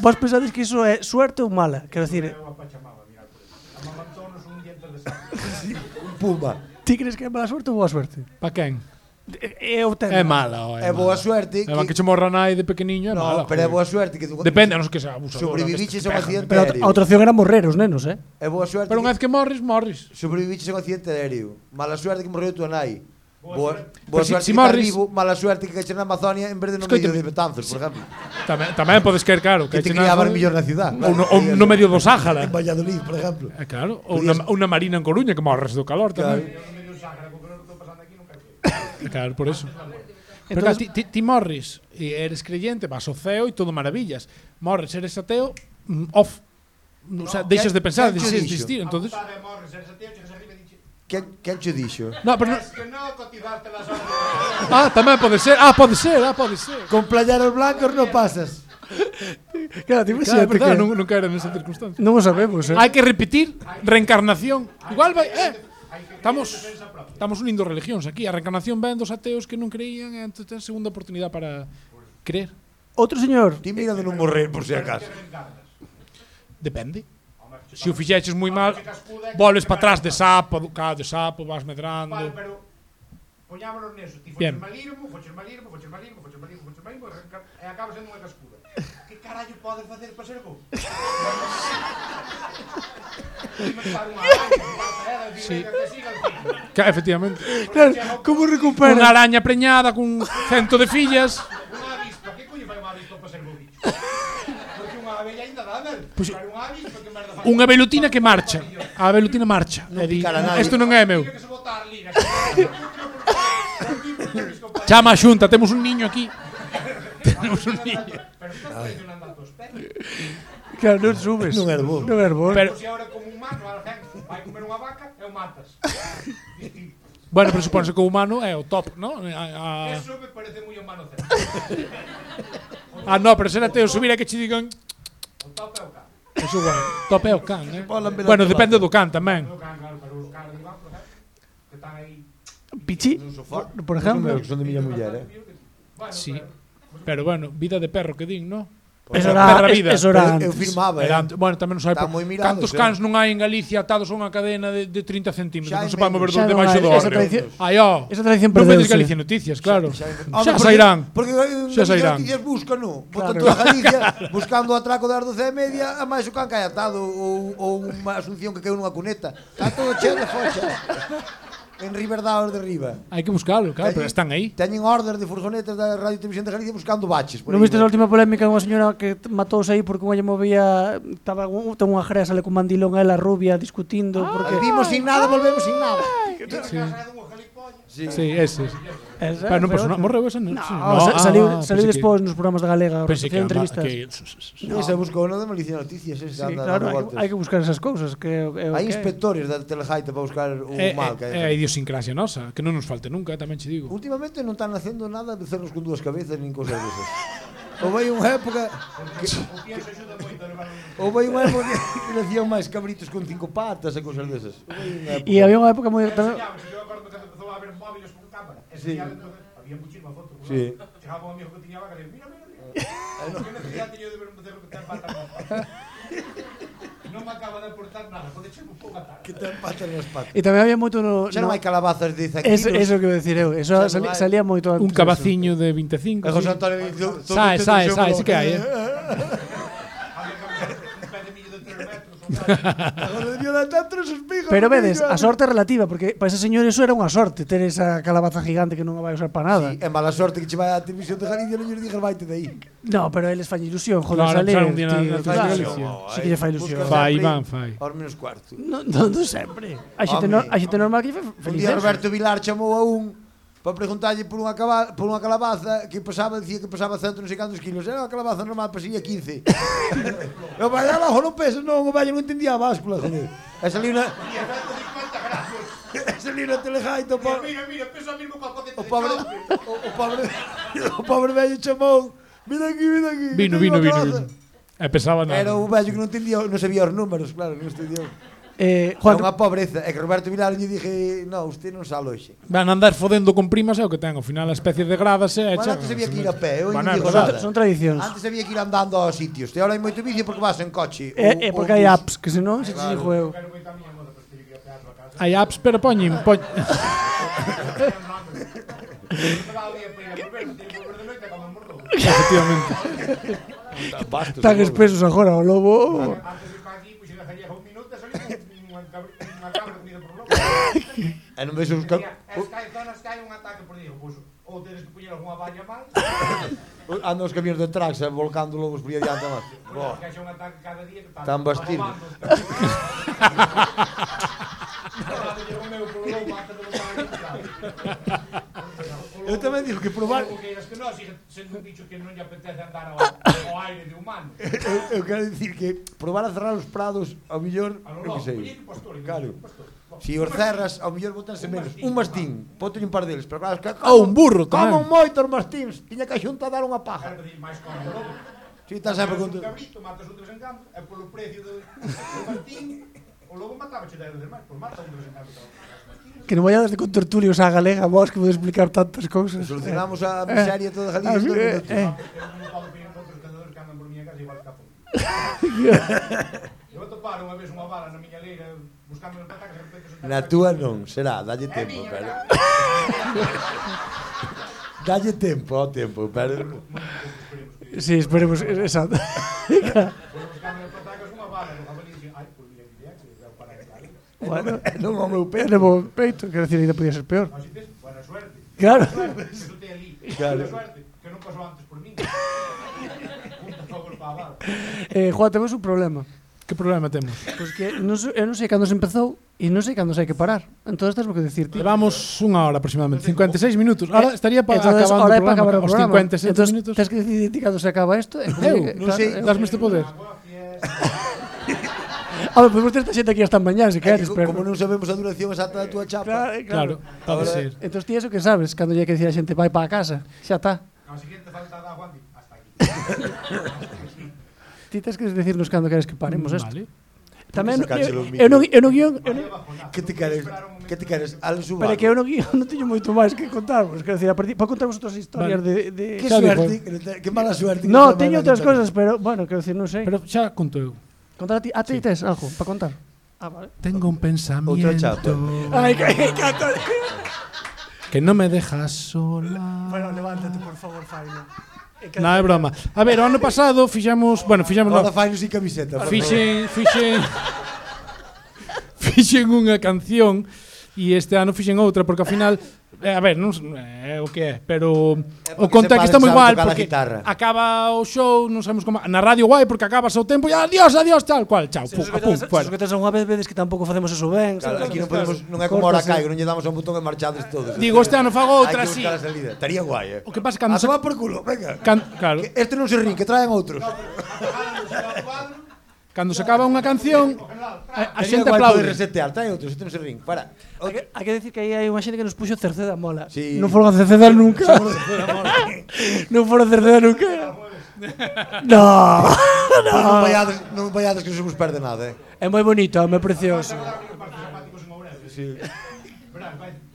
Vos pensades que iso é suerte ou mala? Quero dicir, Eu a Pachamama, mirad por eso. Amamantonos un diente de sangre. Un puma. ti crees que é mala suerte ou boa suerte? Pa quen? Eu ten. É mala, ó, É boa suerte É que che morra nai de pequeniño é mala. No, pero é joder. boa suerte que tú Depende, non sei que sea abusador. sobreviviches a un accidente Pero aéreo. a outra opción era morrer os nenos, eh? É boa suerte Pero unha que vez que morres, morres. sobreviviches a un accidente aéreo. Mala suerte que morreu tua nai. Boa Boa, suerte. boa Pero si- suerte si que estás morres- vivo, mala suerte que caches na Amazonia en vez de no Escoítame. medio de Betanzos, por exemplo. Tamén, tamén podes querer, claro. Que te che criaban nazo- mellor na ciudad. Ou no, ou no medio do Sáhara. En Valladolid, por exemplo. É claro. Ou unha, unha marina en Coruña que morres do calor tamén. Medio Sáhara, con que non estou pasando aquí, nunca É sei. claro, por eso. Pero claro, ti, ti, ti morres e eres creyente, vas ao ceo e todo maravillas. Morres, eres ateo, mm, off. O sea, deixas de pensar, quen deixas cho de dixo? existir, entonces. A puta de morres, eres ateo, chegas arriba e dixe, Quen, quen cho dixo? No, pero no, es que non cotizaste las horas. ah, tamén pode ser. Ah, pode ser, ah, pode ser. Con playeros blancos non pasas. Claro, Claro, ti imagínate é verdad, que non, non era nesa circunstancia. non o sabemos, eh? Hai que repetir reencarnación. Igual vai, eh. Estamos estamos unindo religións aquí. A reencarnación ven dos ateos que non creían e entón ten segunda oportunidade para creer. Outro señor, Ti mira de non morrer, por si acaso. Depende. Se o fixeches moi mal, volves para atrás de sapo, do ca de sapo, vas medrando. Vale, pero poñámonos neso, ti Bien. foches malirmo, foches malirmo, foches malirmo, foches malirmo, foches malirmo, e acabas sendo unha cascuda. Que carallo podes facer para ser bo? Inventar unha araña, Sí. que siga el ciclo. Ca, efectivamente. claro, como Unha recupera? araña preñada cun cento de fillas. Unha avispa, que coño fai unha avispa para ser bo bicho? Porque unha abella ainda dá, Mel. Pero unha avispa que merda fai? Unha velutina que marcha. A velutina marcha. E di, picara nadie. isto non é meu. Que se botar liga. Chama a xunta, temos un niño aquí. Temos un niño. Pero estás traicionando a tus perros. Claro, non subes. Non é bo. Non é bo. Pero, Se ahora como humano, alguén vai comer unha vaca e o matas. bueno, pero supónse que o humano é o top, ¿no? A, a, Eso me parece moi humano hacer. ah, no, pero ser ateo subir é que che digan O top é o can. eso bueno, top é o can, eh? Bola en Bueno, Belén depende do can tamén. O can, claro, pero os caras de banco, que están aí. Pichi, por, por ejemplo. Que son de miña muller, eh. Bueno, Sí. Pero bueno, vida de perro que din, ¿no? Eso Perra era, vida. eso era Eu, eu antes. firmaba, Era eh. ante- bueno, tamén non sai Están por- moi mirados, cantos eh. cans non hai en Galicia atados a unha cadena de, de trinta centímetros, Xa non se hai pode mover menos. Xa do non debaixo hai, do esa hórreo. tradición- Ai, ó. esa tradición Non vedes perdeuse. Galicia Noticias, claro. Xa, Xa sairán. Porque eh, Xa Galicia sairán. Noticias busca, no. Claro. Botan toda Galicia buscando o atraco das doce e media, a máis o can cae atado ou, ou unha asunción que caeu nunha cuneta. Está todo cheo de fochas. En Riberdaos de Riba. Hai que buscalo, claro, pero están aí. Teñen order de furgonetas da Radio e Televisión de Galicia buscando baches. por Non aí, viste a última polémica unha señora que t- matouse aí porque unha lle movía, estaba un- ten unha gresa le con mandilón a ela rubia discutindo porque Vimos sin nada, volvemos sin nada. sí. Casa de unha galipolla. Sí. Sí, ese. esa, Pero non foi pasou nada, outra. morreu esa non. No, Sí, sa- saliu, ah, saliu pensei que- despois nos programas da Galega, Pensei que, facía ama- entrevistas. que No, esa buscou no de Malicia Noticias, ese Sí, anda claro, dando hai, voltas. hai que buscar esas cousas que, é o Hai que é. inspectores da Telejaita para buscar o É, mal é, que é a hai. idiosincrasia nosa, que non nos falte nunca, tamén che digo. Últimamente non están facendo nada de cerros con dúas cabezas nin cousas desas. Ou vai unha época O pienso axuda moito a levar un... ou vai unha época que nacían máis cabritos con cinco patas e cousas desas. Ou vai unha época. E había unha época moi tamén, Enseñábamos, yo acordo que empezou a haber móviles con cámara. Sí. Enseñaba, entonces, había muchísima foto. Sí. Chegaba un amigo que tiña vaca e dicía, mira, mira, mira. Que necesidade teño de ver un becerro que ten patas nas patas. Non me acaba de aportar nada, pode ser un pouco a tarde. Que ten patas nas patas. e tamén había moito no, Xa non no hai calabazas de cen eso, kilos. eso que vou dicir eu, eso Xa non sali, hai. salía moito antes. Un cabaciño de veinticinco. E José sí. Antonio dice, todo Sai, contento sai, de sai, xogalo. sí que hai, eh. Había que haber un pé de millo de tres metros. un Agora debía dar tantos espigos. Pero vedes, a sorte é relativa, porque para ese señor eso era unha sorte, ter esa calabaza gigante que non a vai usar para nada. Sí, é mala sorte que che vai a televisión de Galicia non lle digas vaite de aí. No, pero eles fan ilusión, joder, Claro, salir. empezar un día na- tío, na claro. televisión. Sí que lle fai ilusión. Busca Fai, sempre Iván, fai. aos menos cuarto. Non, non, non sempre. A xente, Home. no, a xente normal que lle fai Un feliz. día eso. Roberto Vilar chamou a un para preguntarlle por unha, caba, por unha calabaza que pesaba, dicía que pesaba cento non sei cantos kilos. Era unha calabaza normal, pesía quince. Eu vai abajo, non pesa, non, o vello non entendía a báscula, joder. E salí unha... E salí unha telejaito, po... Mira, mira, pesa mesmo para poder O pobre... O, o pobre... O pobre vello chamou. Mira aquí, mira aquí. Vino, vino, vino, vino. E pesaba nada. Era un vello que non entendía, non sabía os números, claro, non estudiou. Eh, Juan, Juan, unha pobreza. É que Roberto Vilar lle dije, no, usted non sale hoxe. Van a andar fodendo con primas é o que ten. Ao final a especie de gradas é... Bueno, antes había que ir a pé, eu Bueno, non digo é verdade. nada. son tradicións. Antes había que ir andando aos sitios. E ahora hai moito vicio porque vas en coche. É, é ou- porque ou hai bus. apps, que senón se te dixo eu. Quero moita a miña moda, pois teño que ir a pear a casa. Hai apps, pero poñen... poñ... Cada día para ir a volver, teño que volver de noite como morro. Efectivamente. Bastos, Tan logo. espesos agora, o lobo. Antes de ir para aquí, pois se dejaría un minuto e salía unha cabra, unha cabra comida por lobo. E non ves os cal... Es que hai zonas que hai un ataque por día, pois ou tedes que poñer algunha valla máis, Andan os camións de tracks volcando lobos por aí adiante máis. Boa. que haxa un ataque cada día que está Tan bastido. Eu tamén digo que probar... O que é que nós, sendo un bicho que non lle apetece andar ao, ao aire de humano. Eu, eu quero dicir que probar a cerrar os prados, ao millor, A lo eu que loco, sei. poñer un pastor, Claro. un pastor. Si os cerras, ao mellor botanse Un menos. mastín, Un mastín, ponte un par deles, pero claro, es que Ou un burro tamén. Como moitos mastíns, tiña que a xunta dar unha paja. Quero dicir, máis como o lobo. Si, está sempre con... Un cabrito, matas un de vez en cando, e polo precio do, do martín, o lobo mataba che dez veces máis, por mata un de vez en cando. Que non vayades de con tertulios á galega, vos que podes explicar tantas cousas. Solucionamos a miseria toda Galicia en dos eh, minutos. eh. Eu non podo pedir outros cazadores que andan por miña casa igual escapo. Eu atopar unha vez unha bala na miña leira buscando en patacas e repente se... Na túa non, será, dalle tempo, pero... dalle tempo ao tempo, pero... Sí, esperemos, exacto. Foi buscando en patacas unha bala no jabalí e dixen, ai, pois mira, mira, que deu para aí. Bueno, E non ao meu peito. tenemos peito, quero decir, ainda podía ser peor. Así tes, buena suerte. Claro. Suerte, que eso te ali. Claro. Buena suerte, que non pasou antes por mí. Un favor para a bala. Eh, Juan, temos un problema. Que problema temos? Pois que non sei, eu non sei cando se empezou e non sei cando se hai que parar. Entón tens o que decir ti. Levamos unha hora aproximadamente, cincuenta e seis minutos. Ahora estaría pa, Entonces, acabando ahora o é para acabar o programa. Os programa. cincuenta e sete Entonces, minutos. tens que decidir ti cando se acaba isto. Eu, non sei, dasme este poder. Agua, fiesta. A ver, podemos ter esta xente aquí hasta mañá, se É que queres, co- pero... como non sabemos a duración exacta da túa chapa. Claro, Claro, pode Ahora- ser. Entón ti eso que sabes, cando lle hai que decir a xente vai para a casa, xa está. Ao siguiente falta da Juan, hasta aquí. Ti tens que decirnos cando queres que paremos isto. Vale. Tamén Sacáchelo eu, eu, non, eu non guión, eu non, Que te queres? Que te queres? Alan Subaru. pero é que eu non guión, non teño moito máis que contarvos, quero decir, a partir, para contarvos outras historias Vale. de, de... Que Xa suerte, dijo. que, te- que mala suerte. que No, te teño manda outras contar. cousas, pero, bueno, quero decir, non sei. Pero xa conto eu. Contar a ti, a ti tes algo para contar? Ah, vale. Tengo un pensamiento Outra chapa. Ai, que encanta. que no me deja sola. Bueno, levántate, por favor, Faino. Non, é broma. A ver, o ano pasado fixemos, bueno, fixemos Ahora no, fai sin camiseta. por favor. fixen, fixen fixen unha canción e este ano fixen outra porque ao final eh, a ver, non é o que é, pero É o porque contexto se está moi sabe igual tocar a porque guitarra. acaba o show, non sabemos como na radio guai porque acabas o tempo e adiós, adiós, tal cual, chao, pum, a pum, Se fuera. os que tes unha vez vedes que tampouco facemos eso ben. Claro, sabes? aquí non podemos, non é como ahora Córtase. caigo, non lle damos a un botón e marchades todos. Digo, este ano fago outra Hai que así. buscar a salida. Estaría guai, eh. O que pasa A cando se, tomar por culo, venga. can, claro, Que este non se rin, que traen outros. cando se acaba unha canción a, a Estaría xente guai aplaude. poder resetear, traen outros, este non se rin. Para. Hai que, hai que decir que aí hai unha xente que nos puxo Cerceda mola. Sí. Non foron a Cerceda nunca. Non foron a Cerceda nunca. No. Non vaiades, non vaiades que non se vos perde nada, eh. É moi bonito, é moi precioso. Sí.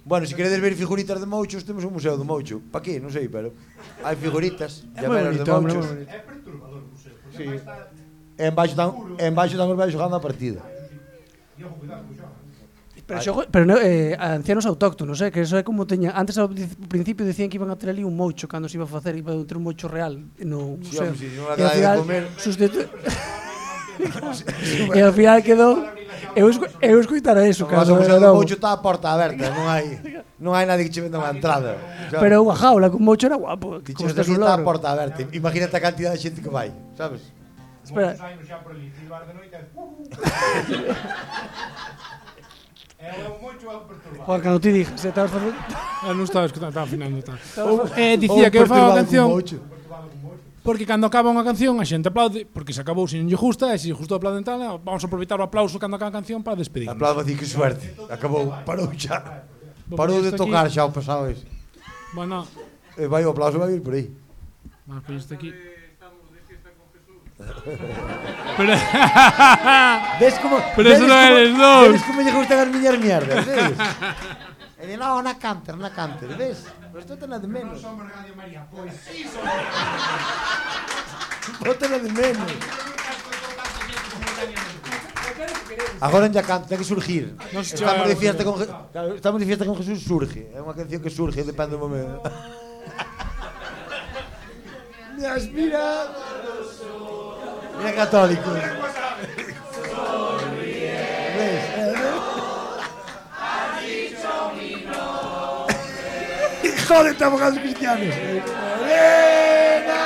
Bueno, se queredes ver figuritas de mouchos, temos un museo do moucho. Pa qué? Non sei, pero hai figuritas, É moi llaveros de bonito, hombre, mouchos. moi bonito. É perturbador o museo, porque Sí. sí. está... E en baixo dan, en baixo dan os vellos jogando a partida. E ojo, cuidado, co xoga. Pero, xogo, pero no, eh, ancianos autóctonos, eh, que eso é como teña... Antes ao di- principio decían que iban a ter ali un moucho cando se iba a facer, iba a ter un moucho real no Sí, museo. home, sí, si non a E ao quedade de final, comer. sustitu- e ao final quedou... Eu, escu eu escuitara eso, Como vas cando ao museo era do novo. moucho está a porta aberta, non hai non hai nadie que che venda unha entrada. Sabes? Pero unha jaula con moucho era guapo. Ti Como chegas estás aquí un está a loro. porta aberta. Imagínate a cantidad de xente que vai, sabes? Espera. Moitos anos xa por ali, silbar de noite, uh, É o moito é o perturbado. Juan, cando ti dixas, se estabas facendo... Ah, non estaba escutando, estaba afinando. Estaba. Eh, Ou dicía que eu fago a perturbado canción como ocho. Perturbado con moito. porque cando acaba unha canción a xente aplaude, porque se acabou se non lle gusta, e se lle gustou aplauden tal, vamos a aproveitar o aplauso cando acaba a canción para despedirnos. Aplaudo a ti, que suerte. Acabou, parou xa. Parou de Isto aquí- tocar xa o pasado ese. Bueno, E vai, o aplauso vai ir por aí. vamos a poñer isto aquí. Pero, Ves como... Pero ves eso non como- eres dous. Ves como lle gustan as miñas mierdas, ves? E di, no, na canter, na canter, ves? Pero isto ten de menos. Somos Radio María, pois sí, somos. Bota de menos. Agora ya canto, ten que surgir. Non se Estamos de chega- fiesta con Je- claro, estamos de fiesta con Jesús, surge. É unha canción que surge, depende do momento. Me aspira. Mira católico. ¿Ves? Joder, estamos con los cristianos. Elena,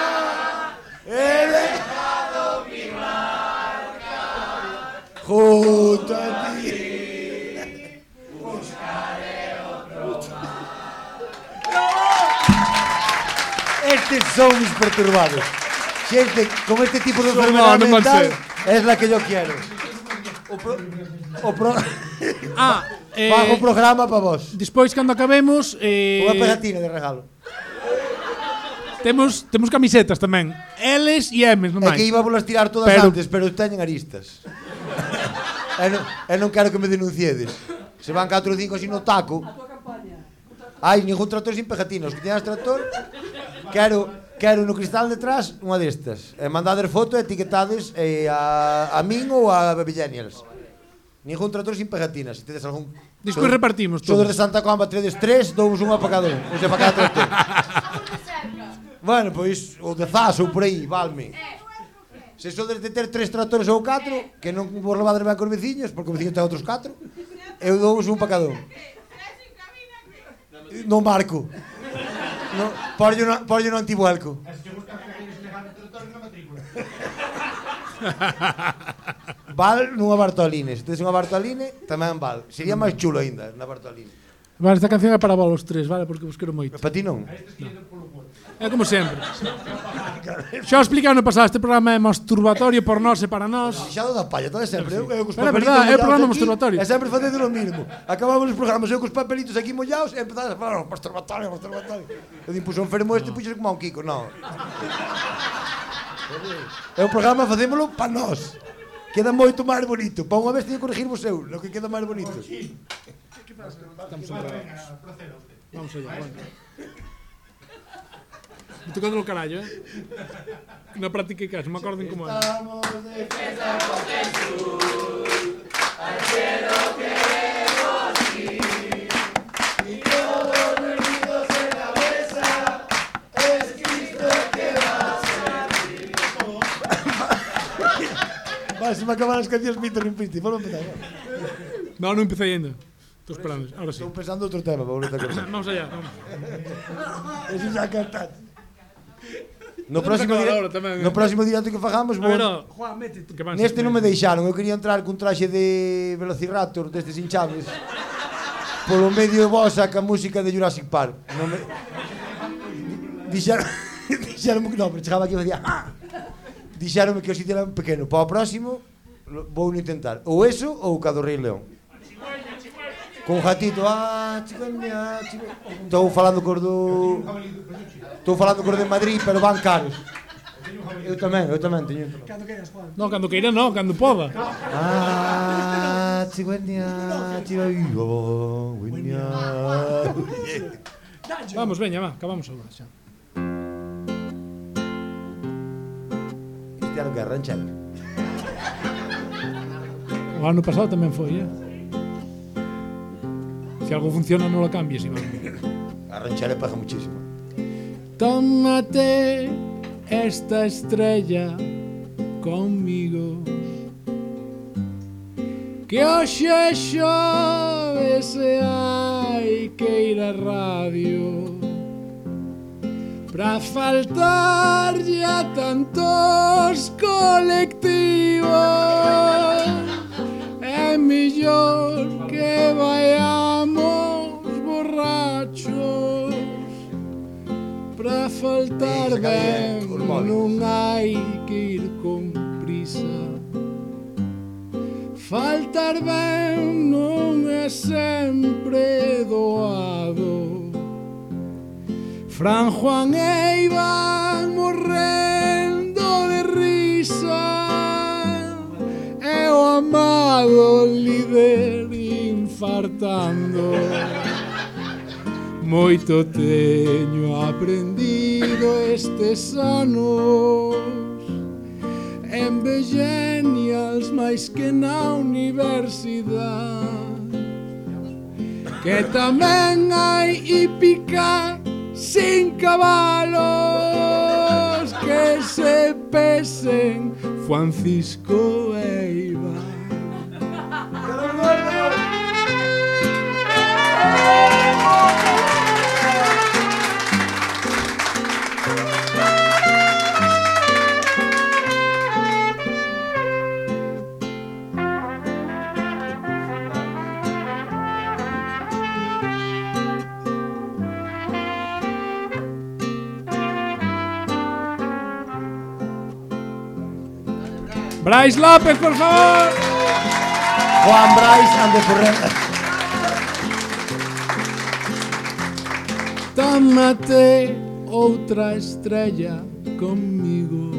Elena. Junto a ti. Estes son mis perturbados. Gente con este tipo de Son- enfermedad no, no puede mental ser. es la que yo quiero. O, pro, o pro, Ah, eh, fago un programa para vos. despois cando acabemos, eh, Unha pegatina de regalo. temos temos camisetas tamén. Ls e Ms, non É que máis. iba a volas tirar todas Pero- antes, pero teñen aristas. e, non, e non quero que me denunciedes. Se van catro ou cinco así no taco. Hai ningún tractor sin pegatinas. Os que teñas tractor, quero, quero no cristal detrás unha destas. E mandades foto e etiquetades eh, a, a min ou a Bebillenials. Ningún tractor sin pegatinas. Se tedes algún... Despois repartimos Todos todos. de Santa Comba, tredes tres, dous unha para cada un. O sea, para cada tractor. Bueno, pois, o de Zas ou por aí, valme. Se sodes de ter tres tractores ou catro, que non vos levades ben cos veciños, porque o veciño ten outros catro, eu dou un para cada un. Non marco. No, porlle no, porlle no antivuelco. E se te gusta que queres levar o territorio na matrícula. Val nunha Bartoline. Se tedes unha Bartoline, tamén val. Sería máis chulo aínda na Bartoline. Vale, esta canción é para vos os tres, vale, porque vos quero moito. Para ti non? É como sempre. Xa o explicado no pasado, este programa é masturbatorio por nós e para nós. Xa do da palla, todo é sempre. Eu, eu cos Pero é papelitos verdad, é o mollados programa aquí, masturbatorio. E sempre facendo o mismo. Acabamos os programas, eu cos papelitos aquí mollados e empezades a falar, oh, masturbatorio, masturbatorio. Eu din, puxo enfermo este, puxo como a un Kiko. Non. É o programa, facémolo pa nós. Queda moito máis bonito. Pa unha vez teño que corregirvos eu, lo que queda máis bonito. Estamos centrados. Vamos allá, bueno. Me tocando o carallo, eh? Na práctica que me acorden como é. Estamos de fiesta con Jesús, al cielo queremos ir, y todos reunidos en la mesa, es Cristo que va a servir. Vale, se me acaban as cancións, Víctor, non piste, volvo a empezar. Non, non empecé ainda. Estou esperando, ahora sí. Estou pensando outro tema, para volver a cantar. Vamos allá, vamos. Ese xa cantaste. No Temos próximo, acabado dire... ahora tamén, eh. no próximo directo que fagamos, A vou... ver, ó, Juan, métete. que van Neste ser- non me deixaron, eu quería entrar cun traxe de Velociraptor, destes hinchables. Polo medio de vos saca música de Jurassic Park. Non me... Dixeron... Dixeronme que non, pero chegaba aquí e facía... Ah! Dixeronme que o sitio era pequeno. Para o próximo, lo- vou intentar. Ou eso, ou o Cado Rei León. Con un gatito, ah, chicoña, chico... Estou falando cos do... Estou falando cos de Madrid, pero van caros. Eu tamén, eu tamén teño. Cando queiras, Juan. Non, cando queira non, cando poda. Ah, chicoña, chicoña, Vamos, veña, va, acabamos agora xa. Este ano que é ranchero. O ano pasado tamén foi, eh? Se algo funciona non lo cambies, Iván. A ranchera paga muchísimo. Tómate esta estrella conmigo, que hoxe xove se hai que ir á radio pra faltarlle a tantos colectivos. E mellor que vayamos borrachos. Pra faltar ben non hai que ir con prisa. Faltar ben non é sempre doado. Fran, Juan e Iván morrendo de risa, e o amado líder infartando. Moito teño aprendido estes anos en Vegenials máis que na universidade, que tamén hai hípica sin cabalos que se pesen Francisco e Iván. Brais López, por favor. Juan Brais ande correndo. Tómate outra estrella conmigo.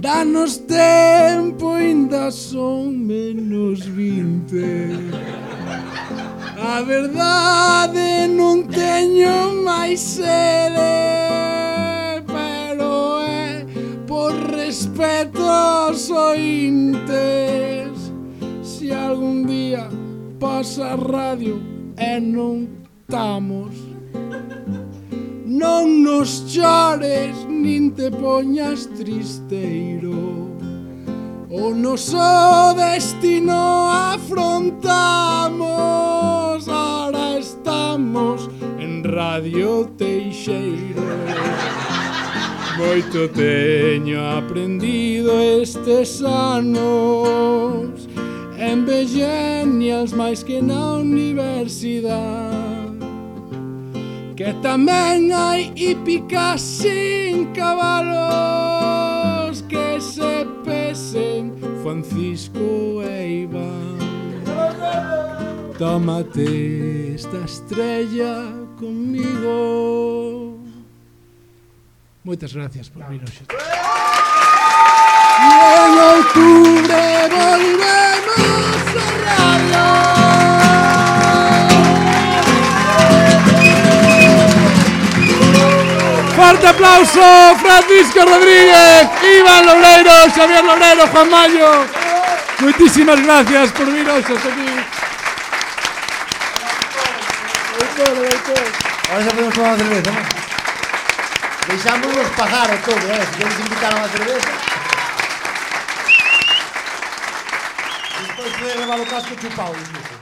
Danos tempo, ainda son menos vinte. A verdade non teño máis sede, pero é por respeto aos ointes. Se algún día pasa a radio e non estamos, non nos chores nin te poñas tristeiro. O noso destino afrontamos, ahora estamos en Radio Teixeiro. Moito teño aprendido estes anos en Vegenials máis que na universidade, que tamén hai hípica sin cabalos que se pesen Francisco e Iván. Tómate esta estrella conmigo. Moitas gracias por vir hoxe. E en outubro volvemos a radio. Forte aplauso, Francisco Rodríguez, Iván Loureiro, Xavier Loureiro, Juan Mayo. Moitísimas gracias por vir hoxe aquí. Ahora xa podemos tomar unha cerveza, non? Deixámonos pagar o todo, eh? Se queres invitar a unha cerveza. Despois de levar o casco chupado, incluso.